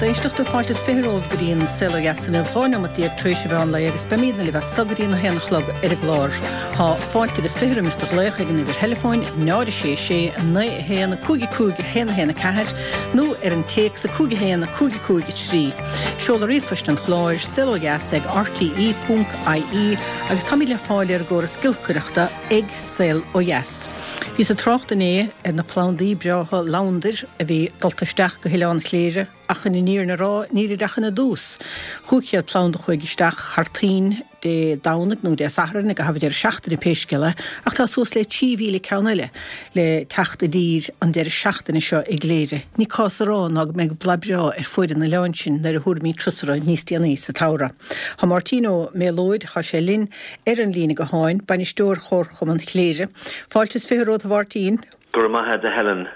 éisteachta, fáilte is 20 romhaibh go dtí an Saol Ó Dheas inniu, 12 neomat tar éis an mheán lae agus beimidne libh as so go dtí an 1 a chlog ar an gclár. Tá fáilte agus 20 roimis do ghlaoch ag an uimhir theileafóin 0 6 6 9 1 5 5 1 1 4 nó ar an téacs 5 1 5 5 3. Seoladh ríomhphoist an chláir, saolodheas ag rte ponc ie agus táimid le fáil ar an gcóras giolcaireachta ag Saol Ó Dheas. Bhíos ag trácht inné ar na plandaí breátha labhandair a bhí dulta isteach go hOileán Chléire ach chun an fhírinne a rá nílid ach ina dtús. 500 planda a chuaigh isteach thar toinn Dé Domhnaigh nó Dé Sathairn i gcaitheamh an deireadh seachtaine pé scéal é ach tá suas le 3,000 ceann eile le teacht i dtír an deireadh seachtaine seo i gCléire. Ní cás a rá ná go mbeidh bladh breá ar fuaid an oileáin sin nuair a thabharfaimid turas orthu níos déanaí sa tsamhradh. Tá Máirtín Ó Méalóid, tá sé linn ar an líne gutháin, bainisteoir Chomharchumann Chléire. Fáilte is 20 romhat a Mháirtín. Go raibh maith agat a Helen.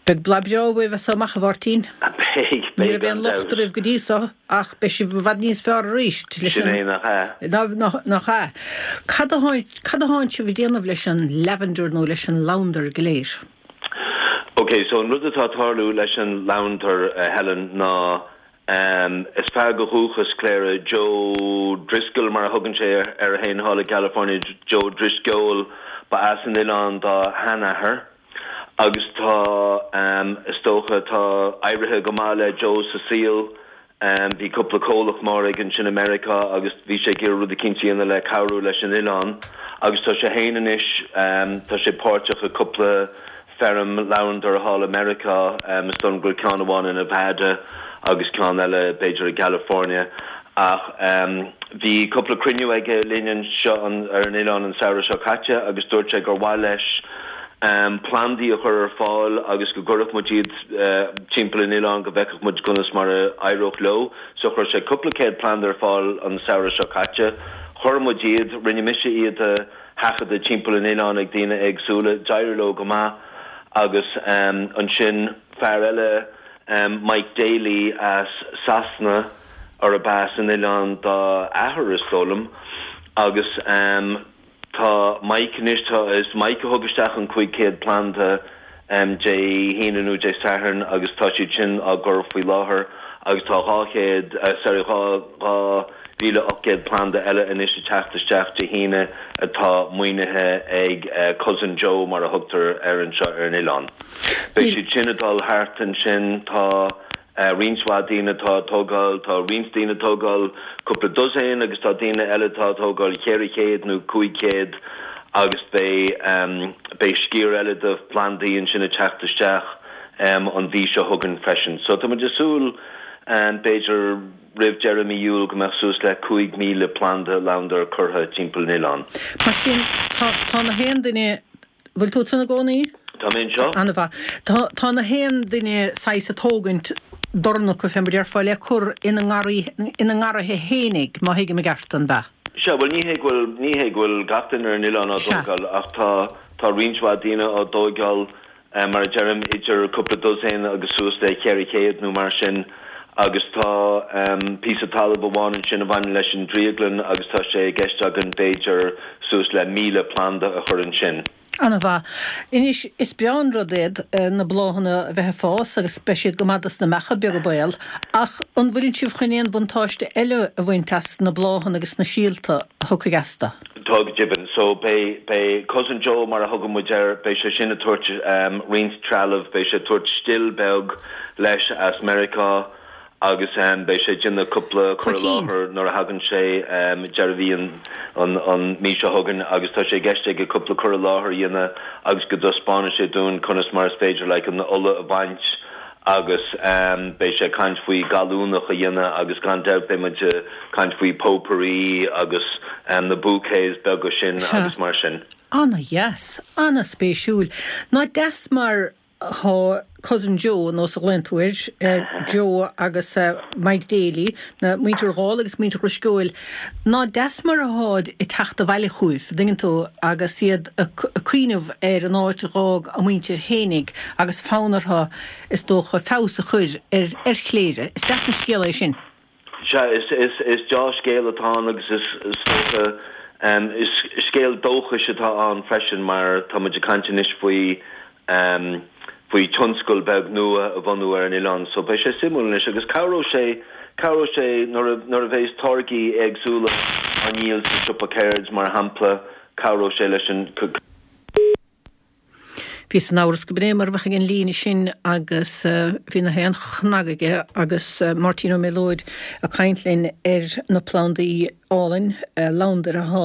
Beidh bladh breá uaibh as so amach a Mháirtín. Beidh, Ní beidh raibh aon gan locht dabht. oraibh go dtí so ach beidh sibh i bhfad níos fearr arís leis Sin an. é, nach ea? Nach ea? Cad a cad atánn sibh ag déanamh leis an lavender nó leis an labhandar go léir? Ok, so an rud atá ag tarlú leis an labhandar, a Helen, ná Is fear de dhúchas Chléire, Joe Driscoll mar a thugann sé air féin thall i gCalifornia, Joe Drisceoil, ba as an oileán dá sheanathair agus tá, is dócha, tá éirithe go maith le Joe sa saol. Bhí cúpla comhlacht mór aige ansin i Meiriceá agus bhí sé ag iarraidh rud eicínt a dhéanamh le cabhrú leis an oileán agus tá sé féin anois, tá sé páirteach i cúpla Feirm labhandar thall i Meiriceá, is dóigh liom go bhfuil ceann amháin i Nevada agus ceann eile b'fhéidir i gCalifornia. Ach bhí cúpla cruinniú aige linn anseo ar an oileán an samhradh seo caite agus dúirt sé gur mhaith leis plandaí a chur ar fáil agus go gcuirfeadh muid iad timpeall an oileáin go bhfeicfeadh muid conas mar a éireodh leo. So chuir sé cúpla céad planda ar fáil an samhradh seo caite. Chuir muid iad, rinne mise iad a. sheachadadh timpeall an oileáin ag daoine éagsúla. D'éirigh leo go maith agus ansin fear eile, Mike Daly as Sasana, arb as an oileán dá athair is dóigh liom, agus tá Mike anois, tá, is Mike a thug isteach an 500 planda Dé hAoine nó Dé Sathairn agus tá siad sin á gcur faoi láthair agus tá 200, sorry, 2,800 planda eile anois ag teacht isteach Dé hAoine atá maoinithe ag Cousin Joe mar a thugtar air anseo ar an oileán. Beidh siad sin ag dul thart ansin, tá roinnt mhaith daoine atá ag tógáil, tá roinnt daoine ag tógáil cúpla dosaen agus tá daoine eile atá ag tógáil 400 nó 500 agus beidh, beidh sciar eile de phlandaí ansin ag teacht isteach an mhí seo chugainn freisin. So tá muid ag súil b'fhéidir roimh deireadh mí Iúil go mbeadh suas le 5,000 planda labhandair curtha timpeall an oileáin. Mar sin, tá, tá na haon duine Bhfuil tú ansan i gcónaí? Tá mé anseo. Ana-mhaith. Tá, tá na haon duine saghas a' tógaint dorn acu fé mar déarfá le cur ina ngarraí, ina ngarraithe fhéinig, má thuigim i gceart, an b'ea? Sea, bhuel ní hé go bhfuil, ní hé go bhfuil gach duine ar an oileán á Sea. dtógáil ach tá, tá roinnt mhaith daoine á dtóigeáil. mar a deirim, idir cúpla dosaen agus suas le 400 nó mar sin agus tá píosa talaimh amháin ansin a bhaineann leis an drioglann agus tá sé i gceist againn b'fhéidir suas le 1,000 planda a chur ansin. Ana-mhaith. Anois, is breá an rud iad na bláthanna a bheith ag fás agus beidh siad go maith dos na beacha beaga baol, ach an bhfuileann sibh chun aon bhuntáiste eile a bhaint as na bláthanna agus na síolta a thiocfaidh astu? Tá go deimhin. So beidh, beidh Cousin Joe mar a thugann muid air, beidh sé sin ag tabhairt roinnt trealaimh, beidh sé ag tabhairt still beag leis as Meiriceá agus beidh sé ag déanamh cúpla cur i Poitín. láthair nuair a thagann sé deireadh mhí an, an, an mí seo chugainn agus tá sé i gceist aige cúpla cur i láthair a dhéanamh agus go dtaispeánfaidh sé dúinn conas mar is féidir like an ola a bhaint agus beidh sé ag caint faoi gallúnach a dhéanamh agus gan dabht beidh muid ag caint faoi potpourri agus na bouquets beaga sin Sea. agus mar sin. Ana-dheas. Ana-spéisiúil. Ná deas mar thá Cousin Joe, nós a ghlaonn tú air, Joe agus Mike Daly, na muintir Dhall agus muintir Dhrisceoil, ná deas mar atháid ag teacht abhaile chugaibh, an dtuigeann tú, agus iad ag cuimhneamh ar an áit a dh'fhág a muintir fhéinig agus fonn orthu, is dócha, feabhas a chur ar Chléire. Is deas an scéal é sin. Sea, is deá-scéal atá ann agus is dócha, is scéal dóchais atá ann freisin mar tá muid ag caint anois faoi. faoi tionscal beag nua a bhunú ar an oileán so beidh sé suimiúil anois agus cabhróidh sé, cabhróidh sé nuair a, nuair a bheas táirgí éagsúla á ndíol sa siopa ceird mar shampla, cabhróidh sé leis an. Bhíos in amhras go b'in é mar a bheadh ag an líne sin agus bhí na haon chnag aige agus Máirtín Ó Méalóid ag caint linn ar na plandaí álainn labhandair athá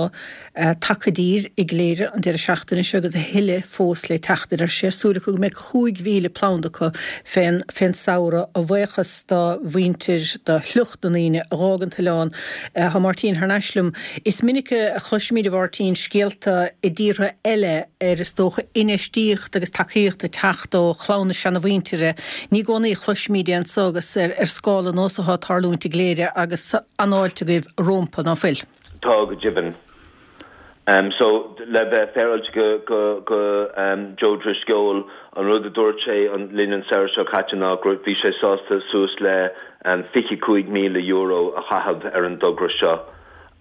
tagtha i dtír i gCléire an deireadh seachtaine seo agus a thuilleadh fós le teacht a deir sé. Súil acu go mbeidh 5,000 planda acu fén fén samhradh a bhuíochas do mhuintir, do shliocht na ndaoine a dh'fhág an t-oileán. Tá Máirtín thar n-ais liom. Is minic a chloisimid, a Mháirtín, scéalta i dtíortha eile ar, is dócha, infheistíocht agus tacaíocht ag teacht ó chlann na seanamhuintire. Ní i gcónaí a chloisimid é anso agus ar scála nós atá ag tarlúint i gCléire agus an-fháilte agaibh rómpa, ná fuil? Tá, go deimhin. So, le bheith féaráilte go, go, go Joe Drisceoil, an rud a dúirt sé linn an samhradh seo caite ná go bhí sé sásta suas le €25,000 a chaitheamh ar an dtogra seo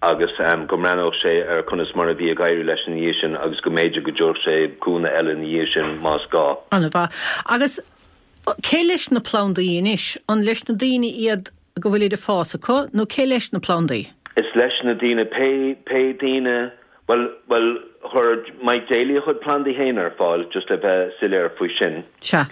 agus go mbreathnódh sé ar conas mar a bhí ag éirí leis ina dhiaidh sin agus go mb'fhéidir go dtabharfadh sé cúnamh eile ina dhiaidh sin más gá. An-mhaith. Agus cé leis na plandaí anois? An leis na daoine iad go bhfuilid ag fás acu nó cé leis na plandaí? Is leis na daoine, pé, pé daoine, bhuel, bhuel, chuir Mike Daly a chuid plandaí féin ar fáil, just le bheith soiléir faoi sin. Sea.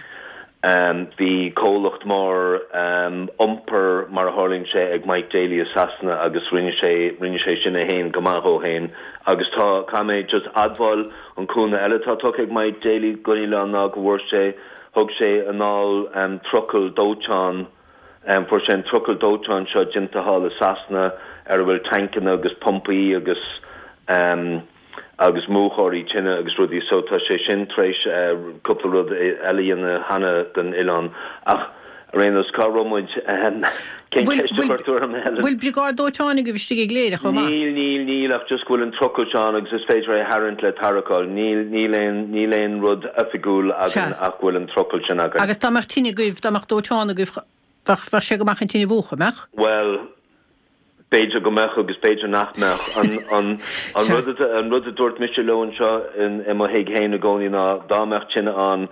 Bhí comhlacht mór iompair, mar a tharlaíonn sé, ag Mike Daly i Sasana agus rinne sé, rinne sé sin é féin go maith dhó féin. Agus tá, caithfidh mé just admháil, an cúnamh eile atá tugtha ag Mike Daly don oileán ná go bhfuair sé, thug sé anall trucail dóiteáin, Fuair sé an trucail dóiteáin seo déanta thall i Sasana ar a bhfuil tancanna agus pumpaí agus agus múchóirí tine agus rudaí so tá sé sin tar éis cúpla rud eile a dhéanamh cheana don oileán. Ach ar aon nós, cá raibh muid? Cén ceist a chuir tú orm, a Helen? Bhfuil briogáid dóiteáin agaibh istigh i gCléire chomh maith? Níl, níl, níl ach just go bhfuil an trucail seo ann agus is féidir é a tharraingt le tarracáil. Níl, níl aon, níl aon rud oifigiúil againn ach go bhfuil an trucail sin againn. Agus dá mbeadh tine agaibh, dá mbeadh dóiteán agaibh, bheadh, bheadh sé go maith an tine a mhúchadh, mbeadh? Bhuel, b'fhéidir go mbeadh agus b'fhéidir nach mbeadh. An, an, an rud a, an rud a dúirt mise leo anseo in, i mo thigh féin i gcónaí ná dá mbeadh tine ann,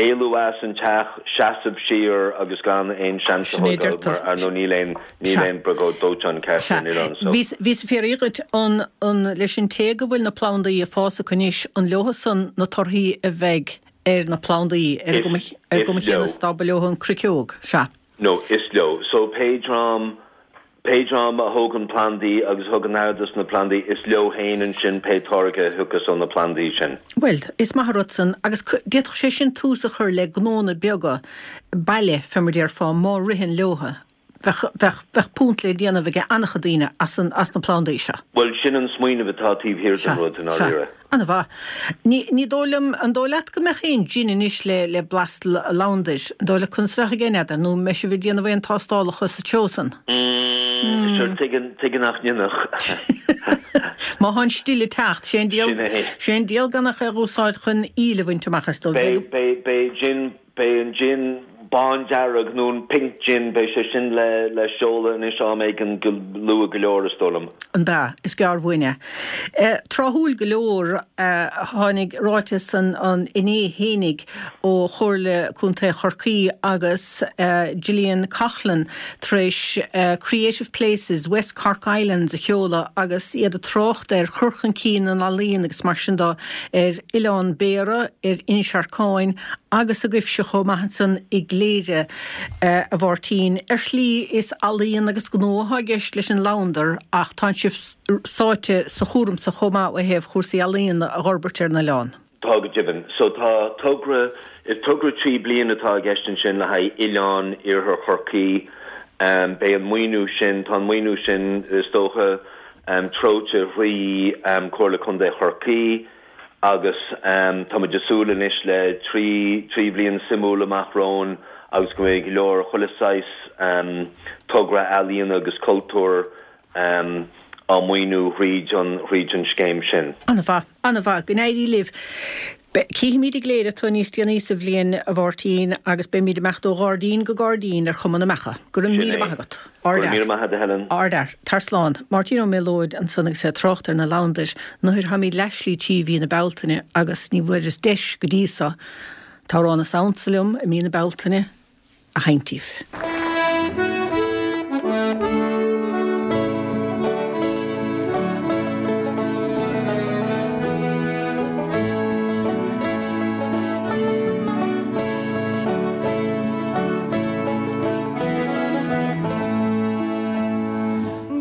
éalú as an teach, seasamh siar agus gan aon seans a Sin é a thógáil deirtear. mar ar ndóigh níl aon, níl Sea. aon briogáid dóiteáin ceart Sea. ar an oileán so. Bhíos, bhíos ag fiafraí dhuit an, an leis an té go bhfuil na plandaí ag fás acu anois, an leothusan na torthaí a bheidh ar na plandaí, ar an Is, gcuma, ar an is gcuma chéanna leo. is dá ba leo an chruiceog. Sea. No, is leo. So pé dream, Pé dream a thógann plandaí agus a thugann aire dos na plandaí, is leo féin ansin pé táirge a thiocfas ó na plandaí sin. Bhuel, is maith an rud san, agus d'fhéadfadh sé sin tús a chur le gnónna beaga baile, fé mar déarfá, má ritheann leotha. Bheadh, bheadh, bheadh punt le déanamh ag an-chuid daoine as an, as na plandaí seo. Bhuel, sin an smaoineamh atá taobh thiar den Sea, rud, i sea. ndáiríre. An-mhaith. Ní, ní dóigh liom, an dóigh leat go mbeadh aon gin anois le, le blas labhandair? An dóigh leat conas a bheadh aige, n'fheadar, nó an mbeidh sibh ag déanamh aon tástálacha sa treo san? Mm, sure, tuige, tuige nach ndéanfadh. Má thá an still ag teacht, sé an diabhal, Sin é. sé an diabhal gan ach é a dh'úsáid chun íle a bhaint amach as dul. Beidh, beidh, beidh gin Beidh an gin bándearg nó an pink gin, beidh sé sin le le seoladh anois am éigin go luath go leor, is dóigh liom. An b'ea? Is gearr uainn é. Tráthúil go leor, tháinig ráiteas an an inné fhéinig ó Chomhairle Contae Chorcaí agus Gillian Coughlan tar éis Creative Places West Cork Islands a sheoladh agus iad ag trácht ar chur chun cinn na n-ealaíon agus mar sin de ar Oileán Béarra, ar Inis Arcáin agus agaibhse chomh maith ansan i gCléire, a Mháirtín. Ar shlí, is ealaíon agus gnó atá i gceist leis an labhandar ach tánn sibh sáite sa chúram so chomh maith ó thaobh chúrsaí ealaíona a dh'fhorbairt ar an oileán. Tá go deimhin. So tá togra, is togra 3 bliana atá i gceist ansin le haghaidh Oileán Iarthar Chorcaí. Beidh an maoiniú sin, tá an maoiniú sin is dócha treoite thrí Comhairle Contae Chorcaí. Agus tá muid ag súil anois le 3 thrí bhliain suimiúil amach romhainn agus go mbeidh go leor chuile saghas togra ealaíona agus cultúir á maoiniú thríd an thríd an scéim sin. An-mhaith, an-mhaith. Go n-éirí libh. Cífimid i gCléire tú níos déanaí sa bhliain, a Mháirtín, agus beimid ag imeacht ó ghairdín go gairdín ar chuma na mbeacha. Go raibh Sin míle é. maith agat. Go raibh míle maith agat, a Helen. Ardfhear. Tar slán. Máirtín Ó Méalóid ansan agus é ag trácht ar na labhandair. Nuair tháimid leathshlí trí mhí na Bealtaine agus ní bhfuaireas deis go dtí so. T-amhrán is ansa liom i mí na Bealtaine a sheinnt daoibh.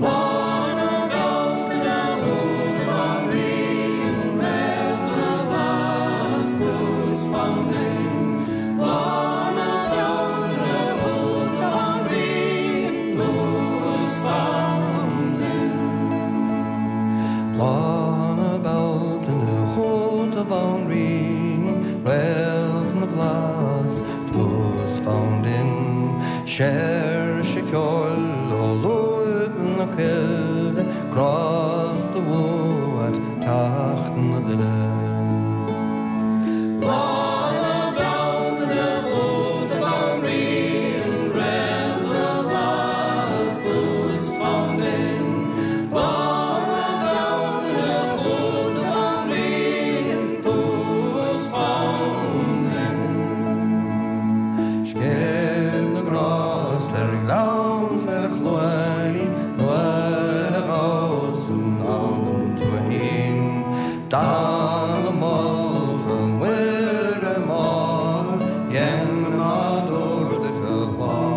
Lá na Bealtaine chugat a Bhanríon, Réalt na bhFlaitheas tús fam linn. Lá na Bealtaine chugat a Bhanríon, tús fam linn. Lá na Bealtaine chugat a Bhanríon, Réalt na bhFlaitheas tús fam linn. Séirse ceoil ó lúib na coille, grásta uait teacht na duille. Lá na Bealtaine chugat a Bhanríon, Réalt na bhFlaitheas tús fam linn. Lá na Bealtaine chugat a Bhanríon, tús fam linn. Scéimh na ngrást ar ghleann 's ar chluainín nuair a ghabhas anonn tú fhéin. Dathanna molta Muire Máthair dhein an nádúr duit a sholáthair.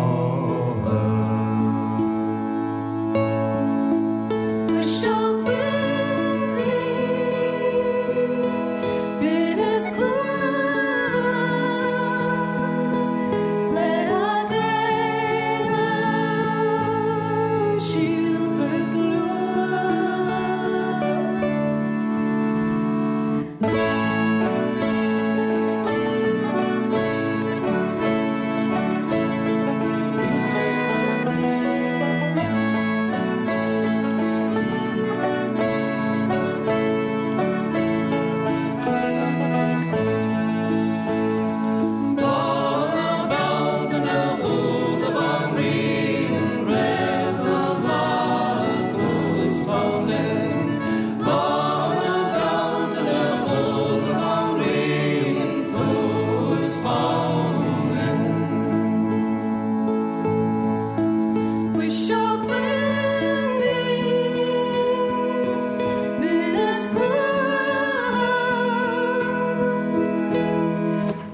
Fuiseog fuinní, binneas cumha Leath gréine, síolta is luath. Lá na Bealtaine chugat a Bhanríon, Réalt na bhFlaitheas tús fam linn. Lá na Bealtaine chugat a Bhanríon, tús fam linn. Fuiseog fuinní, binneas cumha.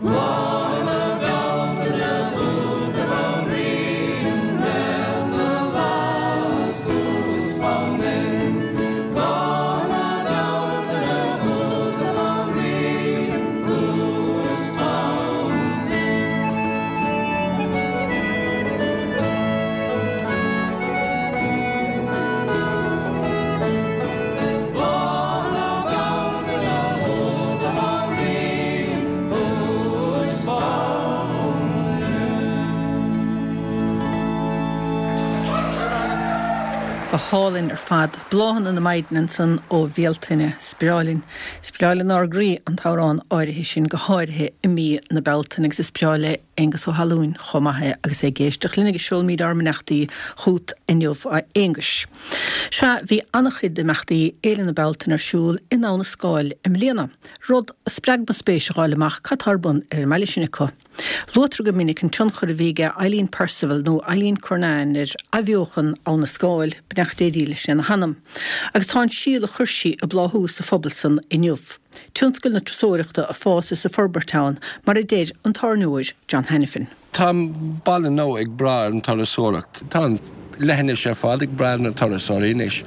Lá na Bealtaine chugat a Bhanríon, Réalt na bhFlaitheas tús fam linn. Lá na Bealtaine chugat a Bhanríon, tús fam linn. Lá na Bealtaine chugat a Bhanríon, tús fam linn. Go hálainn ar fad. Bláthanna na Maighdine ansan ó Bhealtaine. Is breá linn. Is breá lenár gcroí an t-amhrán áirithe sin, go háirithe i mí na Bealtaine agus is breá le Aengus Ó hAlúin chomh maith é agus é ag éisteacht linn agus seolaimid ár mbeannachtaí chút inniu a Aonghuis. Sea, bhí an-chuid d'imeachtaí Fhéile na Bealtaine ar siúl in Abha na Scáil i mbliana, rud a spreag mo spéis a dh'fháil amach cad tá ar bun ar an mbaile sin acu. Luaitear go minic an tionchar a bhí aige Eileen Percival nó Eileen Curnan ar athbheochan Abha na Scáil, beannacht Dé dhílis lena hanam. Agus tá an síol a chuir sí ag bláthú sa phobal san inniu. Tionscal na turasóireachta ag fás is ag forbairt ann, mar a deir an tábhairneoir John Hanafin. Tá an baile nua ag brath ar an turasóireacht. Tá an leithinis ar fad ag brath ar na turasóirí anois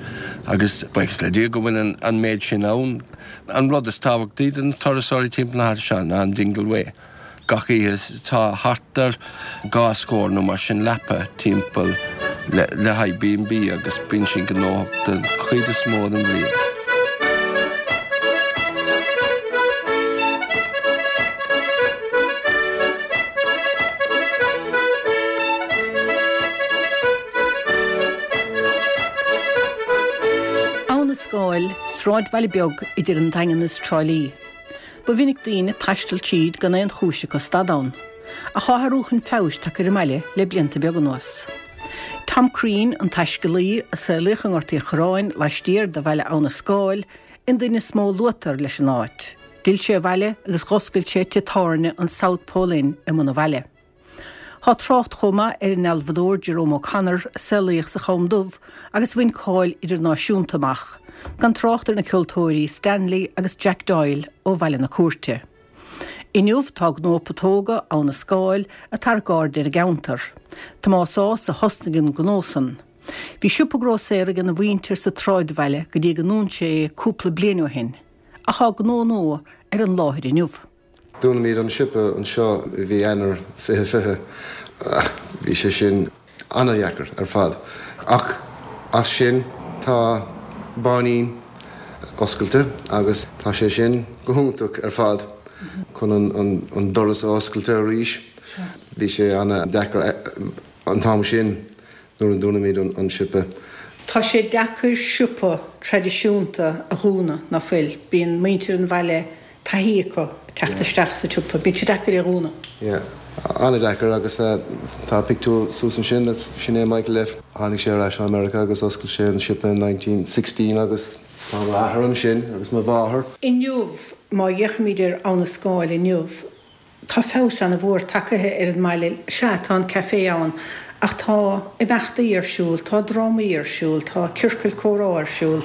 agus buíochas le Dia go bhfuil an méid sin ann. An rud is tábhachtaí do na turasóirí timpeall na háite seo ná an Dingle Way. Gach oíche tá thart ar dhá scór nó mar sin leapa timpeall le haghaidh B and B agus bíonn sin gnóthach den chuid is mó den bhliain. Abha na Scáil, sráidbhaile beag idir an Daingean is Trá Lí. Ba mhinic daoine ag taisteal tríd gan aon chúis acu stad ann. Ach tá athrú chun feabhais tagtha ar an mbaile le blianta beaga anuas. Tom Crean, an taiscéalaí a saolaíodh i nGort Uí Chorráin laistiar de bhaile Abha na Scáil, an duine is mó a luaitear leis an áit. D'fhill sé abhaile agus dh'oscail sé tigh tábhairne an South Pole Inn i mbun an bhaile. Tá trácht chomh maith ar an ndealbhadóir Jerome O'Connor a saolaíodh sa Cham Dubh agus a bhain cáil idirnáisiúnta amach, gan trácht ar na ceoltóirí Stanley agus Jack Doyle ó Bhaile na Cúirte. Inniu tá gnó putóga Abha na Scáil ag tarrac aird ar an gceantar. Tomás Ághas a thosnaigh an gnó san. Bhí siopa grósaera ag a mhuintir sa tsráidbhaile go dtí go ndún sé é cúpla bliain ó shin, ach tá gnó nua ar an láthair inniu. Dúnaimid an siopa anseo i mhí Eanáir 2020. Bhí sé sin an-dheacair ar fad. Ach as sin tá Báinín oscailte agus tá sé sin go hiontach ar fad chun an doras a oscailte arís. Bhí sé an-deacair an t-am sin nuair a dúnaimid an siopa. Tá sé deacair siopa traidisiúnta a dhúnadh, ná fuil? Bíonn muintir an bhaile taithí acu teacht isteach sa tsiopa. Bíonn sé deacair é a dhúnadh. Yeah. An-deacair agus tá pictiúr suas ansin, that's, sin é Michael F. Tháinig sé ar ais ó America agus oscail sé an siopa in 1916 agus tá m'athair ansin agus mo mháthair. Inniu, má fhéachaimid ar Abha na Scáil inniu, Tá feabhas ana-mhór tagaithe ar an mbaile. Sea, tá an café ann, ach tá imeachtaí ar siúl, tá drámaí ar siúl, tá ciorcail comhrá ar siúl.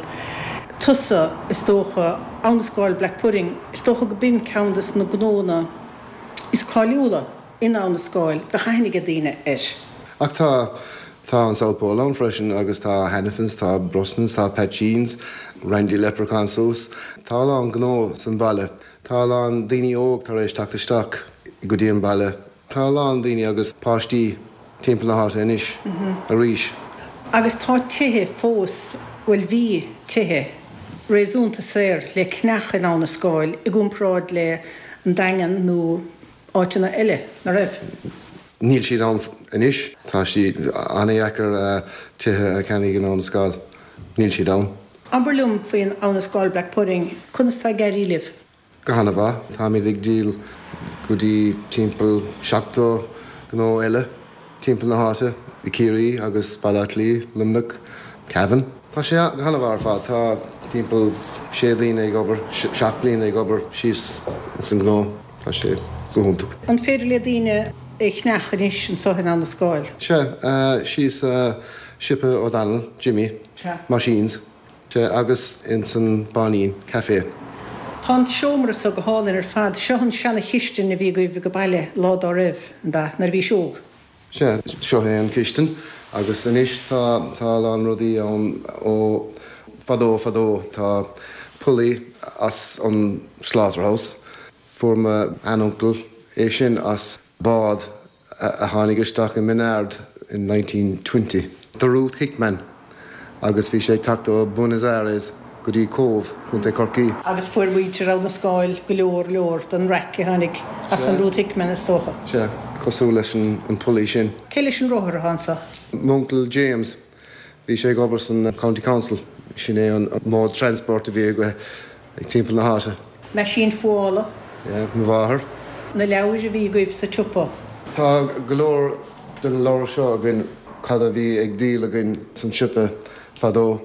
Tusa, is dócha, Abha na Scáil Black Pudding, is dócha go b'in ceann des na gnónna is cáiliúla in Abha na Scáil, bheadh aithne ag daoine air. Ach tá, tá an South Pole ann freisin agus tá Hannifin's, tá Brosnan's, tá Pat Sheehan's, Randy Leprechaun suas. Tá a lán gnó san baile. Tá a lán daoine óg tar éis teacht isteach go dtí an baile. Tá a lán daoine agus páistí timpeall na háite anois arís. Agus tá tithe fós, bhuel bhí tithe réasúnta saor le ceannach in Abha na Scáil i gcomparáid le an Daingean nó áiteanna eile, ná raibh? Níl siad ann anois. Tá sé an-dheacair tithe a cheannaigh in Abha na Scáil. Níl siad ann. Abair liom faoin Abha na Scáil Black Pudding, conas tá ag éirí libh? Go han-mhaith. Táimid ag díol go dtí timpeall 70 gnó eile timpeall na háite, i Ciarraí agus Baile Átha Cliath, Luimneach, Cavan. Tá sé go han-mhaith ar fad. Tá timpeall sé daoine ag obair, seacht daoine ag obair síos ins an gnó. Tá sé go hiontach. An féidir le daoine é a cheannach anois anseo in Abha na Scáil? Sea, síos siopa O'Donnell, Jimmy. Meaisíns, sea, agus ins an Báinín, café. Tá an seomra so go hálainn ar fad. Seo an seana-chistin a bhí agaibh ag baile lá dá raibh, an b'ea, nuair a bhís óg? Sea, seo é an chistin agus anois tá, tá a lán rudaí ann ó fadó fadó. Tá pulley as an slaughterhouse. Fuair mo shean-uncail é sin as bád a tháinig isteach i Minard in 1920, The Ruth Hickman, agus bhí sé ag teacht ó Buenos Aires go dtí Cóbh, Contae Chorcaí. Agus fuair muintir Abha na Scáil go leor leor den raic a tháinig as an Ruth Hickman, is dócha. Sea, cosúil leis an pulley sin. Cé leis an rothar atá anseo? M'uncail James. Bhí sé ag obair san County Council. Sin é an mode transport a bhí aige ag timpeall na háite. Meaisín fuála. Yeah, mo mháthair. Na leabhair a bhí agaibh sa tsiopa. Tá go leor de na leabhair seo againn, cad a bhí ag díol againn san siopa fadó,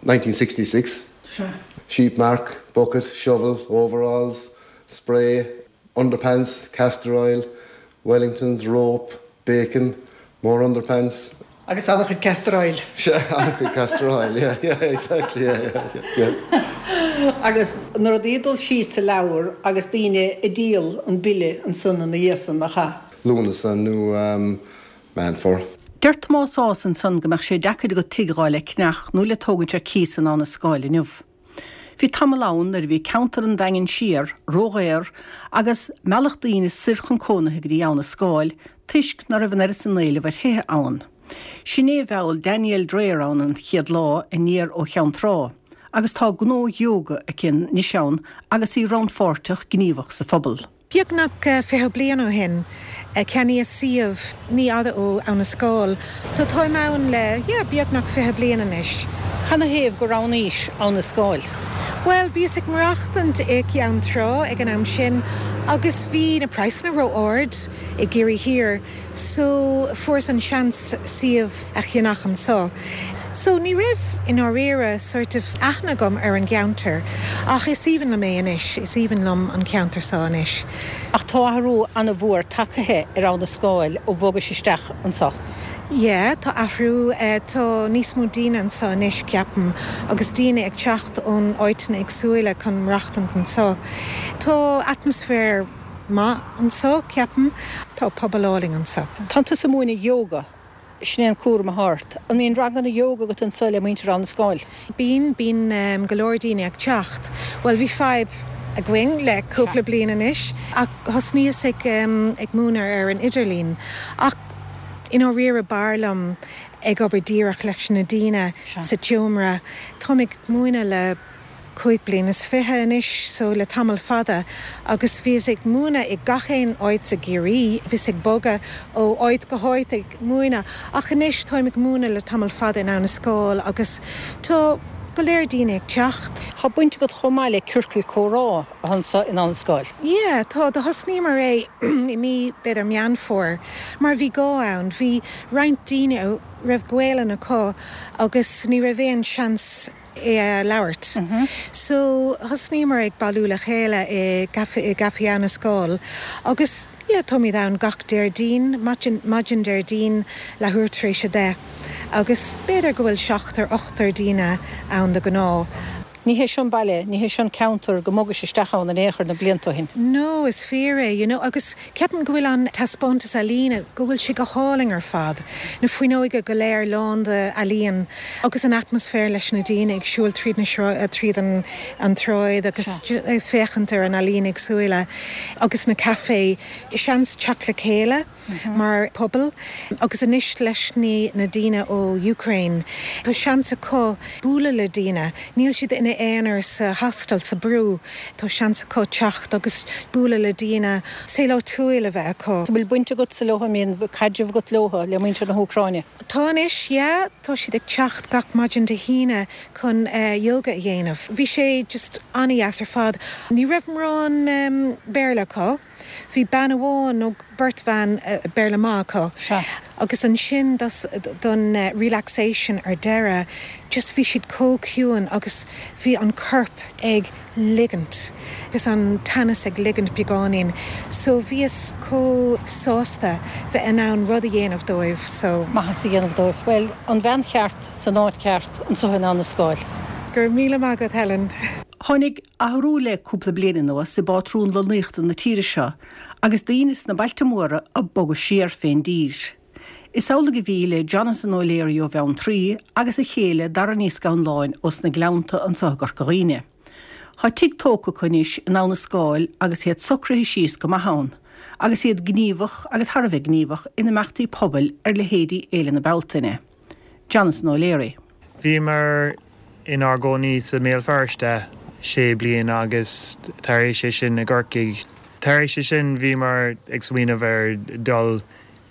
1966. Sea. Sheep mark, bucket, shovel, overalls, spray, underpants, castor oil, Wellingtons, rope, bacon, more underpants. Agus an-chuid castor oil. Sea, an-chuid castor oil, yeah, yeah, exactly, yeah, yeah, yeah. Agus na rudaí ag dul síos sa leabhar agus daoine ag díol an bille ansan ina dhiaidh san, nach ea? Lúnasa nó Meán Fómhair. Deir Tomás Ághas ansan go mbeadh sé deacair agat tigh a dh'fháil le ceannach nó le tógaint ar cíos in Abha na Scáil inniu. Bhí tamall ann nuair a bhí ceantar an Daingin Siar ródhaor agus mealladh daoine soir chun cónaithe go dtí Abha na Scáil toisc ná raibh an oiread san éileamh ar thithe ann. Sin é a mheall Danielle Dreyer ann an chéad lá aniar ó Cheann Trá agus tá gnó yoga aici anois ann agus í rannpháirteach gníomhach sa phobal. Beagnach 20 bliain ó shin, ceannaíos suíomh ní fhada ó Abha na Scáil, so táim ann le, yeah, beagnach 20 bliain anois. Canathaobh gur roghnaís Abha na Scáil? Bhuel, bhíos ag maireachtaint i gCeann Trá ag an am sin agus bhí na praghsanna ró-ard i gCiarraí Thiar so fuaireas an seans suíomh a cheannach anseo. So ní raibh, i ndáiríre, sort of aithne agam ar an gceantar ach is aoibhinn liom é anois, is aoibhinn liom an ceantar seo anois. Ach tá athrú an-mhór tagtha ar Abha na Scáil ó bhogais isteach anseo. Yeah, tá athrú, tá níos mó daoine anseo anois, ceapaim, agus daoine ag teacht ón áiteanna éagsúla chun maireachtaint anseo. Tá atmaisféar maith anseo, ceapaim. Tá pobal álainn anseo. Tá tusa ag múineadh yoga, sin é an cúram atá ort. An mbíonn ranganna yoga agat anseo le muintir Abha na Scáil? Bíonn, bíonn go leor daoine ag teacht. Bhuel, bhí fadhb againn le cúpla bliain anois ach thosnaíos ag ag múineadh ar an idirlíon. Ach i ndáiríre b'fhearr liom ag obair díreach leis na daoine sa tseomra. Táim ag múineadh le cúig bliana is fiche anois, so le tamall fada, agus bhíos ag múineadh i gach aon áit i gCiarraí, bhíos ag bogadh ó áit go háit ag múineadh, ach anois táim ag múineadh le tamall fada in Abha na Scáil agus tá go léir daoine ag teacht. Tá baint agat chomh maith le ciorcal comhrá. anseo in Abha na Scáil. Yeah, tá. Do thosnaíomar é i mí, b'fhéidir Meán Fómhair, mar bhí gá ann. Bhí roinnt daoine a raibh Gaelainn acu agus ní raibh aon seans é a labhairt. So, thosnaíomar ag bailiú le chéile i gcaife, i gCaife Abha na Scáil agus yeah, táimid ann gach Déardaoin, maidin, maidin Déardaoin, leathuair tar éis a deich. Agus b'fhéidir go bhfuil seachtar, ochtar daoine ann de ghnáth. Ní hé seo an baile, ní hé seo an ceantar go mbogais isteach ann in aon chor na blianta ó shin. No, is fíor é, you know, agus ceapaim go bhfuil an taispeántas ealaíne, go bhfuil sé go hálainn ar fad, na fuinneoga go léir lán de ealaíon agus an atmaisféar leis na daoine ag siúl tríd na tríd an an tsráid agus ag féachaint ar an ealaín éagsúla agus na caife, seans teacht le chéile. mar pobal agus anois leis na daoine ó Ukraine tá seans acu bualadh le daoine, níl siad ina aonar sa hostel, sa brú, tá seans acu teacht agus bualadh le daoine, saol áitiúil a bheith acu. An bhfuil baint agatsa leo, an mbíonn caidreamh agat leo, le muintir na hÚcráine? Tá anois, yeah, tá siad ag teacht gach maidin Dé hAoine chun yoga a dhéanamh. Bhí sé just an-dheas ar fad. Ní raibh mórán Béarla acu. Bhí bean amháin nó beirt bhean Béarla maith acu. Agus ansin don relaxation ar deireadh, just bhí siad chomh ciúin agus bhí an corp ag ligint agus an teannas ag ligint beagáinín. So bhíos chomh sásta bheith in ann rud a dhéanamh dóibh so. Maitheas a dhéanamh dóibh. Bhuel, an bhean cheart san áit cheart anseo in Abha na Scáil. Go raibh míle maith agat Helen. Tháinig athrú le cúpla bliain anuas i bpátrún lonnaíochta na tíre seo agus daoine sna bailte móra ag bogadh siar fén dtír. Is amhlaidh a bhí le Jonathan O'Leary ó Bheanntraí agus a chéile Dara Ní Scanláin ós na Gleannta anseo i gCorca Dhuibhne. Tá tigh tógtha acu anois in Abha na Scáil agus iad socraithe síos go maith ann, agus iad gníomhach agus thar a bheith gníomhach in imeachtaí pobail ar leithéidí Fhéile na Bealtaine. Jonathan O'Leary. Bhíomar inár gcónaí sa mBéal Feirste sé bliana agus tar éis é sin i gCorcaigh. Tar éis é sin bhíomar ag smaoineamh ar dul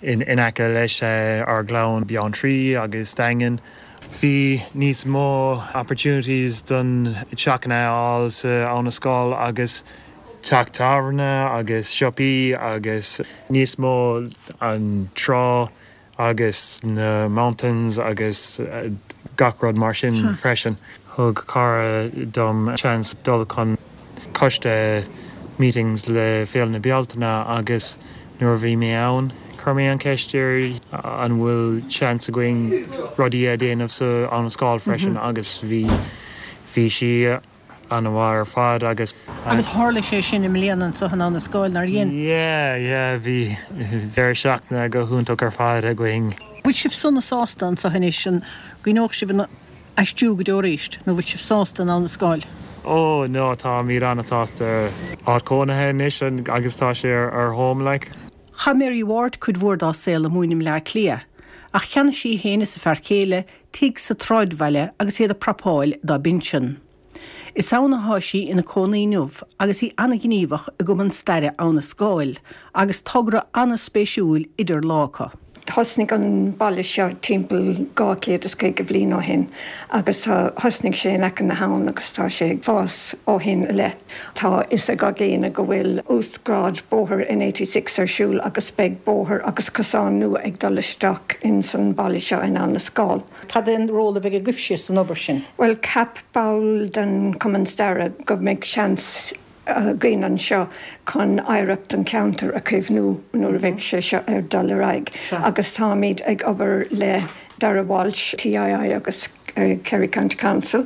in aice leis ár gclann, Beanntraí agus Daingean. Bhí níos mó opportunities don teachanna a fháil sa Abha na Scáil agus teach tábhairne agus siopaí agus níos mó an trá agus na mountains agus gach rud mar sin freisin. Thug cara dom seans dul chun coiste meetings le Féile na Bealtaine agus nuair a bhí mé ann chuir mé an ceist ar an bhfuil seans againn rudaí a déanamh sa Abha na Scáil freisin agus bhí bhí sí An-mhaith ar fad agus. Agus tharla sé sin i mbliana anseo in Abha na Scáil, nár dhein? Yeah, yeah, bhí deireadh seachtaine go hiontach ar fad againn. Bhfuil sibh sona sásta anseo anois? An gcuimhneodh sibh an aistriú go deo arís nó bhfuil sibh sásta in Abha na Scáil? Oh no, táimid an-sásta. Áit cónaithe anois agus tá sé ar home like. Chaith Mary Ward cuid mhór dá saol amuigh i mBleá Cliath, ach cheannaigh sí féin is a fear céile tigh sa tsráidbhaile agus iad ag prapáil dá bpinsean. Is ann athá sí ina cónaí inniu agus í an-ghníomhach i gCumann Staire Abha na Scáil agus togra an-spéisiúil idir lámha acu. Thosnaigh an baile seo timpeall 250 bhliain ó shin agus tá, thosnaigh sé in aice na habhann agus tá sé ag fás ó shin i leith. Tá fhios ag gach éinne go bhfuil uasghrád bóthair N86 ar siúl agus beidh bóthar agus cosán nua ag dul isteach ins an baile seo in Abhainn an Scáil. Cad é an ról a bheidh agaibhse san obair sin? Bhuel, cheap ball den Chumann Staire go mbeidh seans againn anseo chun oidhreacht an cheantair a chaomhnú nuair a bheidh sé seo ar dul ar aghaidh agus táimid ag obair le Dara Walsh, TII agus Kerry County Council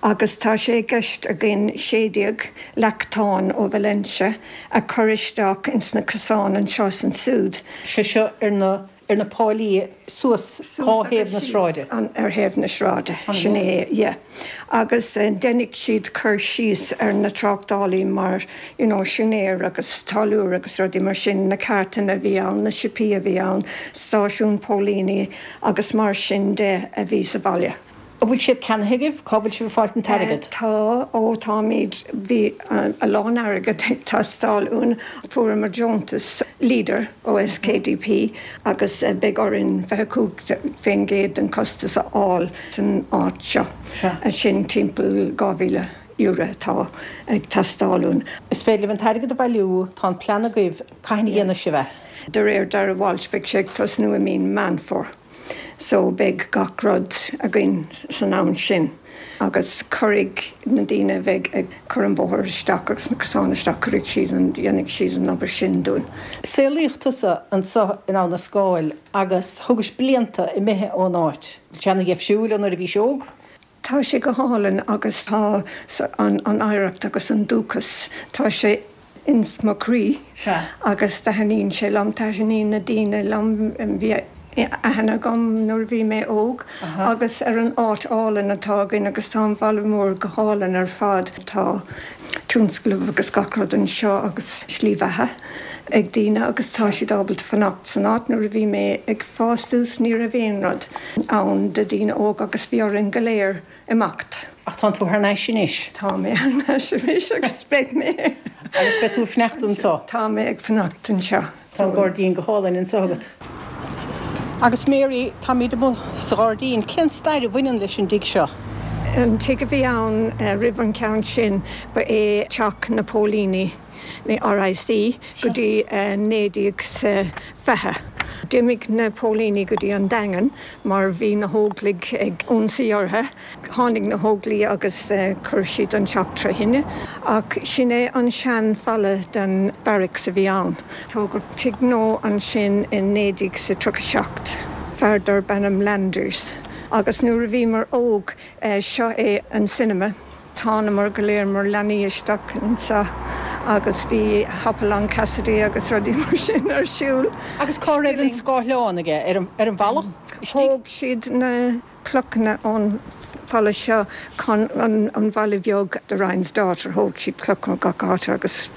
agus tá sé i gceist againn 16 leachtán ó Valentia a chur isteach ins na cosáin anseo is ansúd. Sé seo ar na ar na páilí suas dhá thaobh na sráide. Ar thaobh na sráide, sin é, yeah. Agus déanfaidh siad cur síos ar na tráchtálaí mar, you know, siúinéir agus táilliúir agus rudaí mar sin, na cartanna a bhí ann, na siopaí a bhí ann, stáisiún póilíní agus mar sin de a bhí sa bhaile. An bhfuil siad ceannaithe agaibh? Cá bhfuil sibh ag fáilt an t-airgead? Tá, ó táimid, bhí a lán airgead ag teastáil uainn. Fuaireamar deontas Leader ó SKDP agus beidh orainn 25% den chostas a fháil san áit seo. Sin timpeall €2,000 atá ag teastáil uainn. Is féidir libh an t-airgead a bhailiú, tá an plean agaibh, cathain a dhéanfaidh sibh é? De réir Dara Walsh beidh sé ag tosnú i mí Meán Fómhair. So beidh gach rud againn san am sin agus cuirfidh na daoine a bheidh ag cur an bóthar isteach agus na cosáin isteach, cuirfidh siad an, dhéanfaidh siad an obair sin dúinn. Saolaíodh tusa anseo in Abha na Scáil agus thugais blianta imithe ón áit. Bhfuil sé ana-dheifriúil ó nuair a bhís óg? Tá sé go hálainn agus tá an oidhreacht agus an dúchas, tá sé ins mo chroí agus taitníonn sé liom, taitníonn na daoine liom, bhí aithne agam nuair a bhí mé óg agus ar an áit álainn atá againn agus tá an baile mór go hálainn ar fad. Tá tionscnamh agus gach rud anseo agus slí bheatha ag daoine agus tá siad ábalta fanacht san áit. Nuair a bhí mé ag fás suas ní raibh aon rud ann do daoine óga agus bhí orainn go léir imeacht. Ach tánn tú thar n-ais anois. Tá mé thar n-ais anois agus beidh mé. Agus beidh tú ag fanacht anseo. Tá mé ag fanacht anseo. Tá an gairdín go hálainn anseo agat. Agus Mary, táimid amuigh sa ghairdín. Cén stair a bhaineann leis an dtigh seo? An tigh a bhí ann roimh an cheann sin ba é teach na póilíní. RIC, go dtí 1920. D'imigh na póilíní go dtí an Daingean mar bhí na hÓglaigh ag ionsaí orthu. Tháinig na hÓglaigh agus chuir siad an teach tré thine. Ach sin é an sean falla den barracks a bhí ann. Tógadh tigh nua ansin i 1937. Fear darb ainm Landers. Agus nuair a bhíomar óg, seo é an cinema. Thánamar go léir mar leanaí isteach anseo agus bhí Hopalong Cassidy agus rudaí mar sin ar siúl. Agus cá raibh an scáthleán aige? Ar an bhfalla istigh? Thóg siad na clochanna ón bhfalla seo chun an bhalla bheag The Ryan's Daughter, thóg siad cloch ó gach áit agus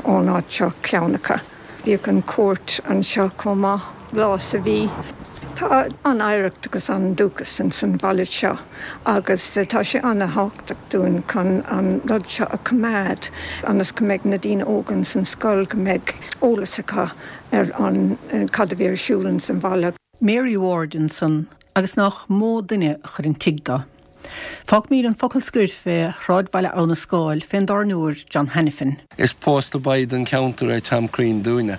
ón áit seo ceann acu. Bhíodh an chúirt anseo chomh maith, lá sa mhí. Tá an-oidhreacht agus an-dúchas ins an bhaile seo agus tá sé an-thábhachtach dúinn chun an rud seo a choimeád ionas go mbeidh na daoine óga ins an scoil, go mbeidh eolas acu ar an cad a bhí ar siúl ins an bhaile. Mary Ward ansan agus nách mó duine a chuir an tigh do. Fágfaimíd an focal scoir fé shráidbhaile Abha na Scáil fén dtábhairneoir John Hanafin. Is poster boy don cheantar é Tom Crean dúinne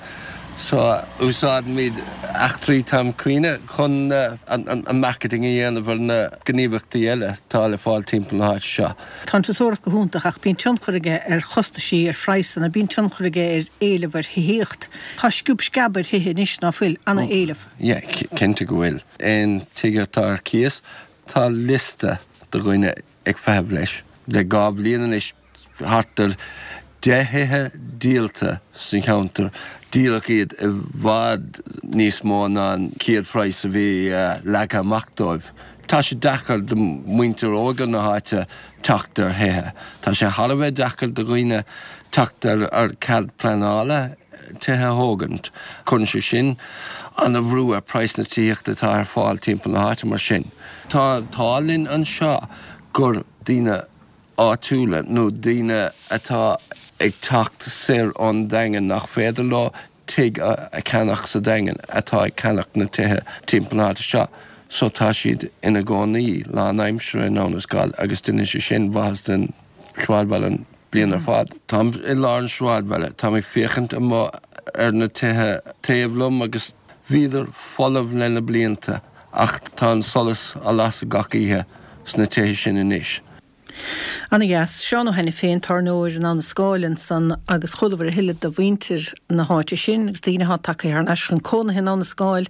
so úsáidimid eachtraí Tom Crean chun an marketing a dhéanamh ar na gníomhaíochtaí eile atá le fáil timpeall na háite seo. Tá an turasóireacht go hiontach ach bíonn tionchar aige ar chostaisí, ar phraghsanna, bíonn tionchar aige ar éileamh ar thithíocht. Tá sciob sceab ar thithe anois, ná fuil? Ana-éileamh. Yeah, cinnte go bhfuil. Aon tigh atá ar cíos, Tá liosta de dhaoine ag feitheamh leis. Le 2 bhliain anois thart ar 10 thithe díolta sa cheantar. Díoladh iad i bhfad níos mó ná an chéad phraghas a bhí leagtha amach dóibh. Tá sé deacair do mhuintir óga na háite teacht ar thithe. Tá sé thar a bheith deacair do dhaoine teacht ar cead pleanála. tithe a thógaint. Cuireann sé sin ana-bhrú ar praghas na tithíochta atá ar fáil timpeall na háite mar sin. Tá an t-ádh linn anseo gur daoine áitiúla nó daoine atá ag teacht soir ón Daingean nach féidir leo. tigh a cheannach sa Daingean atá ag ceannach na tithe timpeall na háite seo so tá siad ina gcónaí lánaimseartha in Abhainn an Scáil agus déanann sé sin maitheas don sráidbhaile an bliain ar fad. Táim i lár an sráidbhaile, táim ag féachaint amuigh ar na tithe taobh liom agus bhíodar folamh le na blianta ach tá an solas á lasadh gach oíche sna tithe sin anois. Ana dheas. Seán Ó hAiniféin, tábhairneoir in Abhainn an Scáil ansan agus chualabhair a thuilleadh de mhuintir na háite sin agus daoine atá tagtha thar n-ais chun cónaithe in Abhainn an Scáil